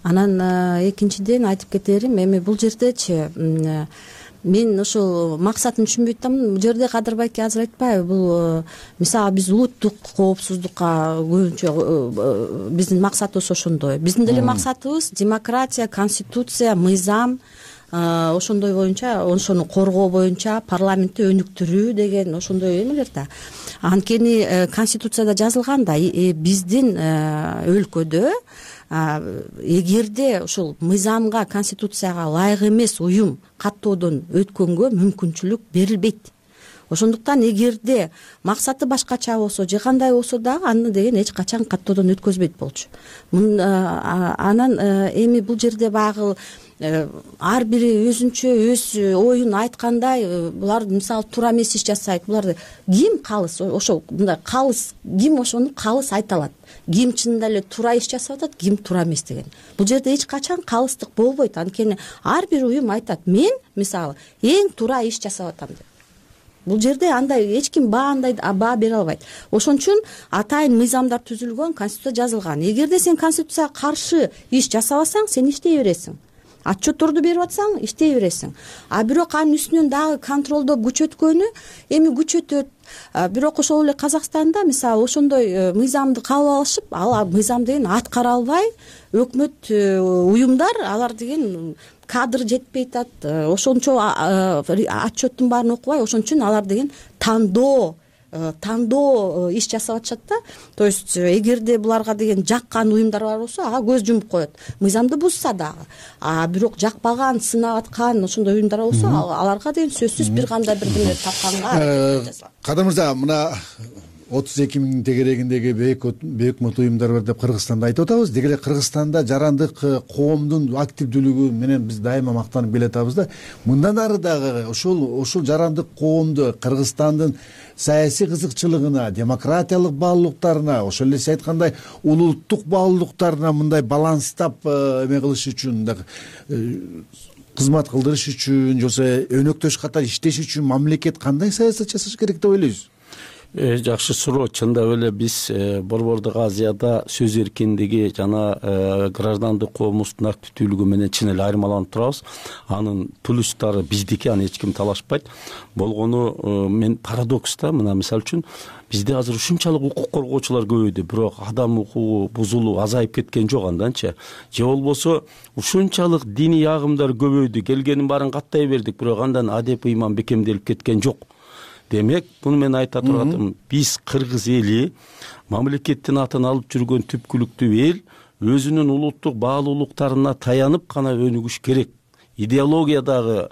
Анан экинчиден айтып кетерим, эми бул жердечи мен ошол максатын түшүнбөй атам. Бул жерде Кадыр байке азыр айтпайбы, бул мисалы биз улуттук коопсуздукка көбүнчө биздин максатыбыз ошондой. Биздин деле максатыбыз демократия, конституция, мыйзам, ошондой боюнча, ошону коргоо боюнча парламентти өнүктүрүү деген ошондой эмелер да. Анткени конституцияда жазылган да, биздин өлкөдө эгерде ушул мыйзамга, конституцияга ылайык эмес уюм каттоодон өткөнгө мүмкүнчүлүк берилбейт. Ошондуктан эгерде максаты башкача болсо же кандай болсо дагы аны деген эч качан каттоодон өткөзбөйт болчу. Анан эми бул жерде баягы ар бири өзүнчө өз оюн айткандай, булар мисалы туура эмес иш жасайт. Булар ким калыс, ошол мындай калыс ким ошону калыс айта алат. Ким чынында эле туура иш жасап атат, ким туура эмес деген. Бул жерде эч качан калыстык болбойт. Анткени ар бир уюм айтат, мен мисалы эң туура иш жасап атам деп. Бул жерде андай эч ким баандай баа бере албайт. Ошон үчүн атайын мыйзамдар түзүлгөн, конституция жазылган. Эгерде сен конституцияга каршы иш жасабасаң, сен иштей бересиң. Отчетторду берип атсаң, иштей бересиң. А бирок анын үстүнөн дагы контролдоп күчөткөнү эми күчөтөт. Бирок ошол эле Казакстанда мисалы ошондой мыйзамды кабыл алышып, ал мыйзам деген аткара албай, өкмөт уюмдар алар деген кадр жетпей атат. Ошончо отчеттун баарын окубай, ошон үчүн алар деген тандоо тандоо иш жасап атышат да. То есть эгерде буларга деген жаккан уюмдар бар болсо, ага көз жумуп коет. Мыйзамды бузса дагы. А бирок жакпаган, сынап аткан ошондой уюмдар болсо, аларга деген сөзсүз бир кандай бирдеме тапканга. Кадыр мырза, мына отуз эки миң тегерегиндеги бейөкмөт уюмдар бар деп Кыргызстанда айтып атабыз. Деги эле Кыргызстанда жарандык коомдун активдүүлүгү менен биз дайыма мактанып келатабыз да. Мындан ары дагы ошол ошол жарандык коомду Кыргызстандын саясий кызыкчылыгына, демократиялык баалуулуктарына, ошол эле сиз айткандай улуттук баалуулуктарына мындай баланстап эме кылыш үчүн дагы кызмат кылдырыш үчүн, же өнөктөш катары иштеш үчүн мамлекет кандай саясат жасаш керек деп ойлойсуз? Жакшы суроо. Чындап эле биз Борбордук Азияда сөз эркиндиги жана граждандык коомубуздун активдүүлүгү менен чын эле айырмаланып турабыз. Анын плюстары биздики, аны эч ким талашпайт. Болгону мен парадокс да, мына мисалы үчүн бизде азыр ушунчалык укук коргоочулар көбөйдү, бирок адам укугу бузулуп азайып кеткен жок анданчы. Же болбосо ушунчалык диний агымдар көбөйдү, келгенин баарын каттай бердик, бирок андан адеп ыйман бекемделип кеткен жок. демек муну мен айта турган биз кыргыз эли мамлекеттин атын алып жүргөн түпкүлүктүү эл өзүнүн улуттук баалуулуктарына таянып гана өнүгүш керек. Идеологиядагы,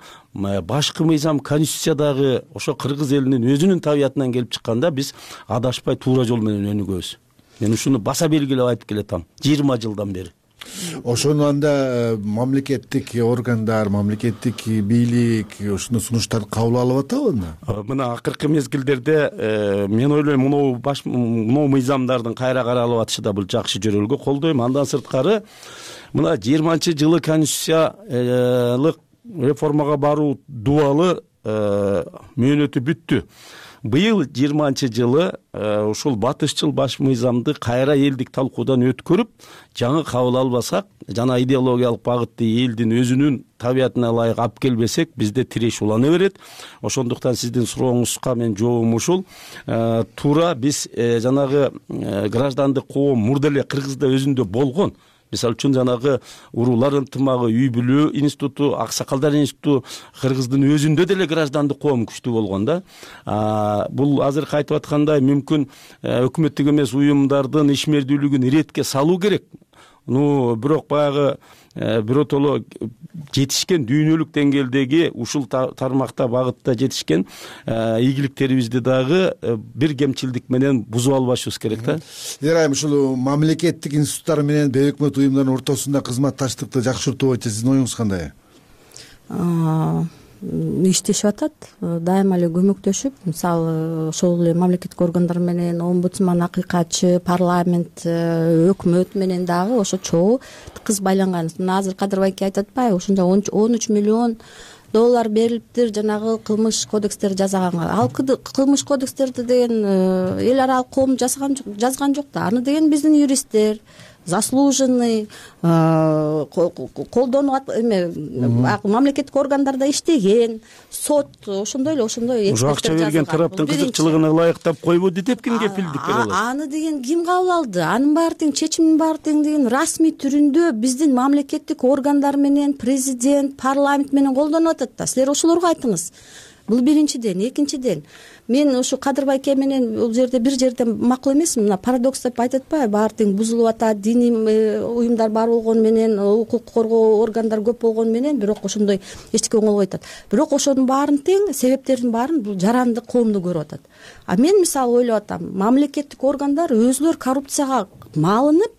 башкы мыйзам, конституциядагы ошо кыргыз элинин өзүнүн табиятынан келип чыкканда биз адашпай туура жол менен өнүгөбүз. Мен ушуну баса белгилеп айтып келатам жыйырма жылдан бери. Ошону анда мамлекеттик органдар, мамлекеттик бийлик ушуну сунуштарды кабыл алып атабы анда? Мына акыркы мезгилдерде мен ойлойм мынау баш мынау мыйзамдардын кайра каралып атышы да бул жакшы жөрөлгө колдойм. Андан сырткары мына жыйырманчы жылы конституциялык реформага баруу дубалы мөөнөтү бүттү. Быйыл жыйырманчы жылы ушул батышчыл баш мыйзамды кайра элдик талкуудан өткөрүп, жаңы кабыл албасак жана идеологиялык багытты элдин өзүнүн табиятына ылайык алып келбесек, бизде тиреш улана берет. Ошондуктан сиздин сурооңузга мен жообум ушул. Туура биз жанагы граждандык коом мурда эле Кыргызда өзүндө болгон. Мисалы үчүн жанагы уруулар ынтымагы, үй бүлүү институту, аксакалдар институту Кыргыздын өзүндө деле граждандык коом күчтүү болгон да. Бул азыркы айтып аткандай мүмкүн өкмөттүк эмес уюмдардын ишмердүүлүгүн иретке салуу керек. Ну, бирок баягы биротоло жетишкен дүйнөлүк деңгээлдеги ушул тармакта багытта жетишкен ийгиликтерибизди дагы бир кемчилдик менен бузуп албашыбыз керек да. Дерайым ушул мамлекеттик институттар менен бейөкмөт уюмдардын ортосунда кызматташтыкты жакшыртуу боюнча сиздин оюңуз кандай? Иштешип атат, дайыма эле көмөктөшүп, мисалы ошол эле мамлекеттик органдар менен, омбудсман, акыйкатчы, парламент, өкмөт менен дагы ошо чогуу тыкыз байланган. Мына азыр Кадыр байке айтып атпайбы, ошондо он үч миллион доллар берилиптир жанагы кылмыш кодекстерди жасаганга. Ал кылмыш кодекстерди деген эл аралык коом жазган жазган жок да. Аны деген биздин юристтер, заслуженный, колдонуп эме мамлекеттик органдарда иштеген, сот ошондой эле ошондой эксперттер акча берген тараптын кызыкчылыгына ылайыктап койбоду деп кимге кепилдик бере алат? Аны деген ким кабыл алды? Анын баары тең, чечимдин баары тең деген расмий түрүндө биздин мамлекеттик органдар менен, президент, парламент менен колдонуп атат да. Силер ошолорго айтыңыз. Бул биринчиден. Экинчиден, мен ушу Кадыр байке менен бул жерде бир жерден макул эмесмин. Мына парадокс деп айтып атпайбы, баары тең бузулуп атат, диний уюмдар бар болгон менен, укук коргоо органдар көп болгон менен, бирок ошондой эчтеке оңолбой атат. Бирок ошонун баарын тең, себептердин баарын бул жаранды коомду көрүп атат. А мен мисалы ойлоп атам, мамлекеттик органдар өзүлөр коррупцияга малынып,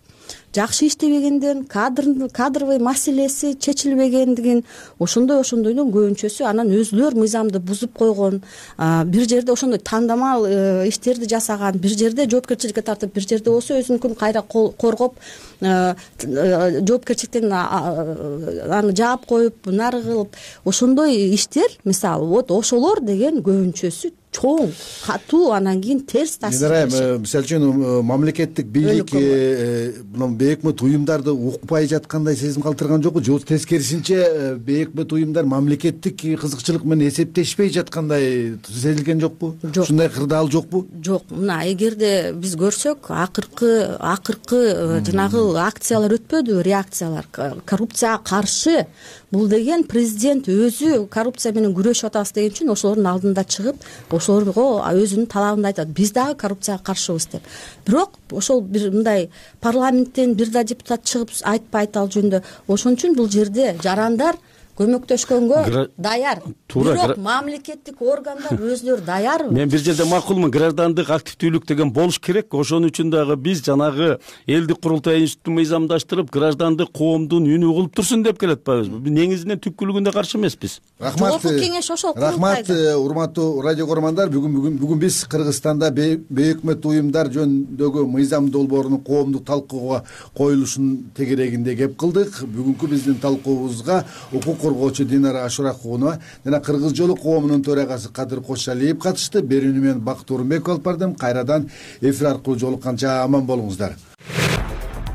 жакшы иштебегенден, кадр кадровый маселеси чечилбегендигин, ошондой ошондойдун көбүнчөсү анан өзүлөр мыйзамды бузуп койгон, бир жерде ошондой тандамал иштерди жасаган, бир жерде жоопкерчиликке тартып, бир жерде болсо өзүнүкүн кайра коргоп, жоопкерчиликтен аны жаап коюп, нары кылып, ошондой иштер, мисалы, вот ошолор деген көбүнчөсү чоң, катуу, анан кийин терс таасир беришет. Мисалы үчүн мамлекеттик бийлик мына бейөкмөт уюмдарды укпай жаткандай сезим калтырган жокпу? Же тескерисинче бейөкмөт уюмдар мамлекеттик кызыкчылык менен эсептешпей жаткандай сезилген жокпу? Ушундай кырдаал жокпу? Жок. Мына эгерде биз көрсөк, акыркы акыркы жанагы акциялар өтпөдү, реакциялар коррупцияга каршы. Бул деген президент өзү коррупция менен күрөшүп атабыз деген үчүн ошолордун алдында чыгып, ошолорго өзүнүн талабын айтат. Биз дагы коррупцияга каршыбыз деп. Бирок ошол бир мындай парламенттен бир да депутат чыгып айтпай айта ал жөнүндө. Ошон үчүн бул жерде жарандар көмөктөшкөнгө даяр. Бирок мамлекеттик органдар өзүлөрү даярбы? Мен бир жерде макулмун, граждандык активдүүлүк деген болуш керек. Ошон үчүн дагы биз жанагы элдик курултай институтун мыйзамдаштырып, граждандык коомдун үнү угулуп турсун деп келатпайбызбы? Биз негизинен түпкүлүгүндө каршы эмеспиз. Рахмат. Кеңеш ошол. Рахмат, урматтуу радио көрөрмандар. Бүгүн бүгүн бүгүн биз Кыргызстанда бейөкмөт уюмдар жөнүндөгү мыйзам долбоорунун коомдук талкууга коюлушунун тегерегинде кеп кылдык. Бүгүнкү биздин талкуубузга укук коргоочу Динара Ашуракунова жана Кыргыз жолу коомунун төрагасы Кадыр Кошалиев катышты. Берүүнү мен Бакыт Орунбеков алып бардым. Кайрадан эфир аркылуу жолукканча аман болуңуздар.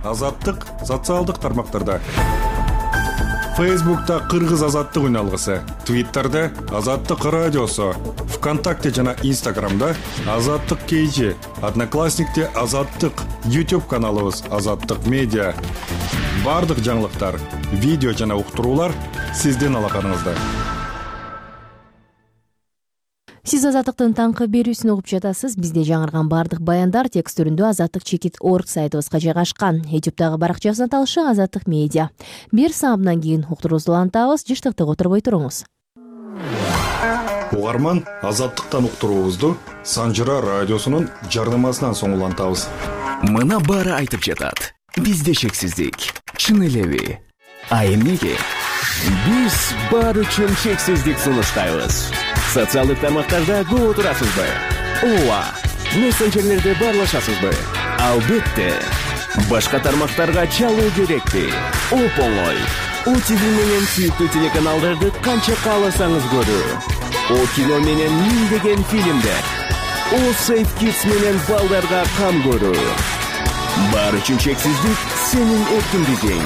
Азаттык социалдык тармактарда. Фейсбукта Кыргыз азаттык үн алгысы, Твиттерде Азаттык радиосу, ВКонтакте жана Инстаграмда Азаттык кейжи, Одноклассникте Азаттык, YouTube каналыбыз Азаттык медиа. Бардык жаңылыктар, видео жана уктуруулар сиздин алаканыңызда. сиз азаттыктын таңкы берүүсүн угуп жатасыз. Бизде жаңырган баардык баяндар текст түрүндө азаттык чекит орг сайтыбызга жайгашкан. Ютубтагы баракчабыздын аталышы азаттык медиа. Бир саамдан кийин уктуруубузду улантабыз. Жыштыкты отурбой туруңуз. Угарман, азаттыктан уктуруубузду Санжыра радиосунун жарнамасынан соң улантабыз. Мына баары айтып жатат. Бизде чексиздик. Чын элеби? А эмнеге? Биз баары үчүн чексиздик сунуштайбыз. Социалдык тармактарда көп отурасызбы? Ооба. Мессенджерлерде баарлашасызбы? Албетте. Башка тармактарга чалуу керекпи? Оп-оңой. О ти ви менен сүйүктүү телеканалдарды канча кааласаңыз көрүү. О кино менен миңдеген фильмдер. О Safe Kids менен балдарга кам көрүү. Баары үчүн чексиздик сенин эркиндигиң.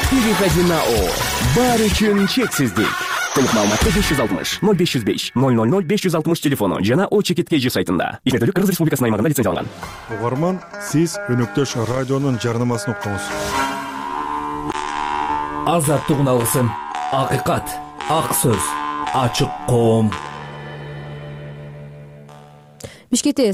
Переходи на О. Баары үчүн чексиздик. Толук маалыматты беш жүз алтымыш ноль беш жүз беш ноль ноль ноль беш жүз алтымыш телефону жана О чекит кей жи сайтында. Ишмердүүлүк Кыргыз Республикасынын аймагында лицензияланган. Угарман, сиз өнөктөш радионун жарнамасын уктуңуз. Азаттык алгысын. Акыйкат, ак сөз, ачык коом. Бишкекте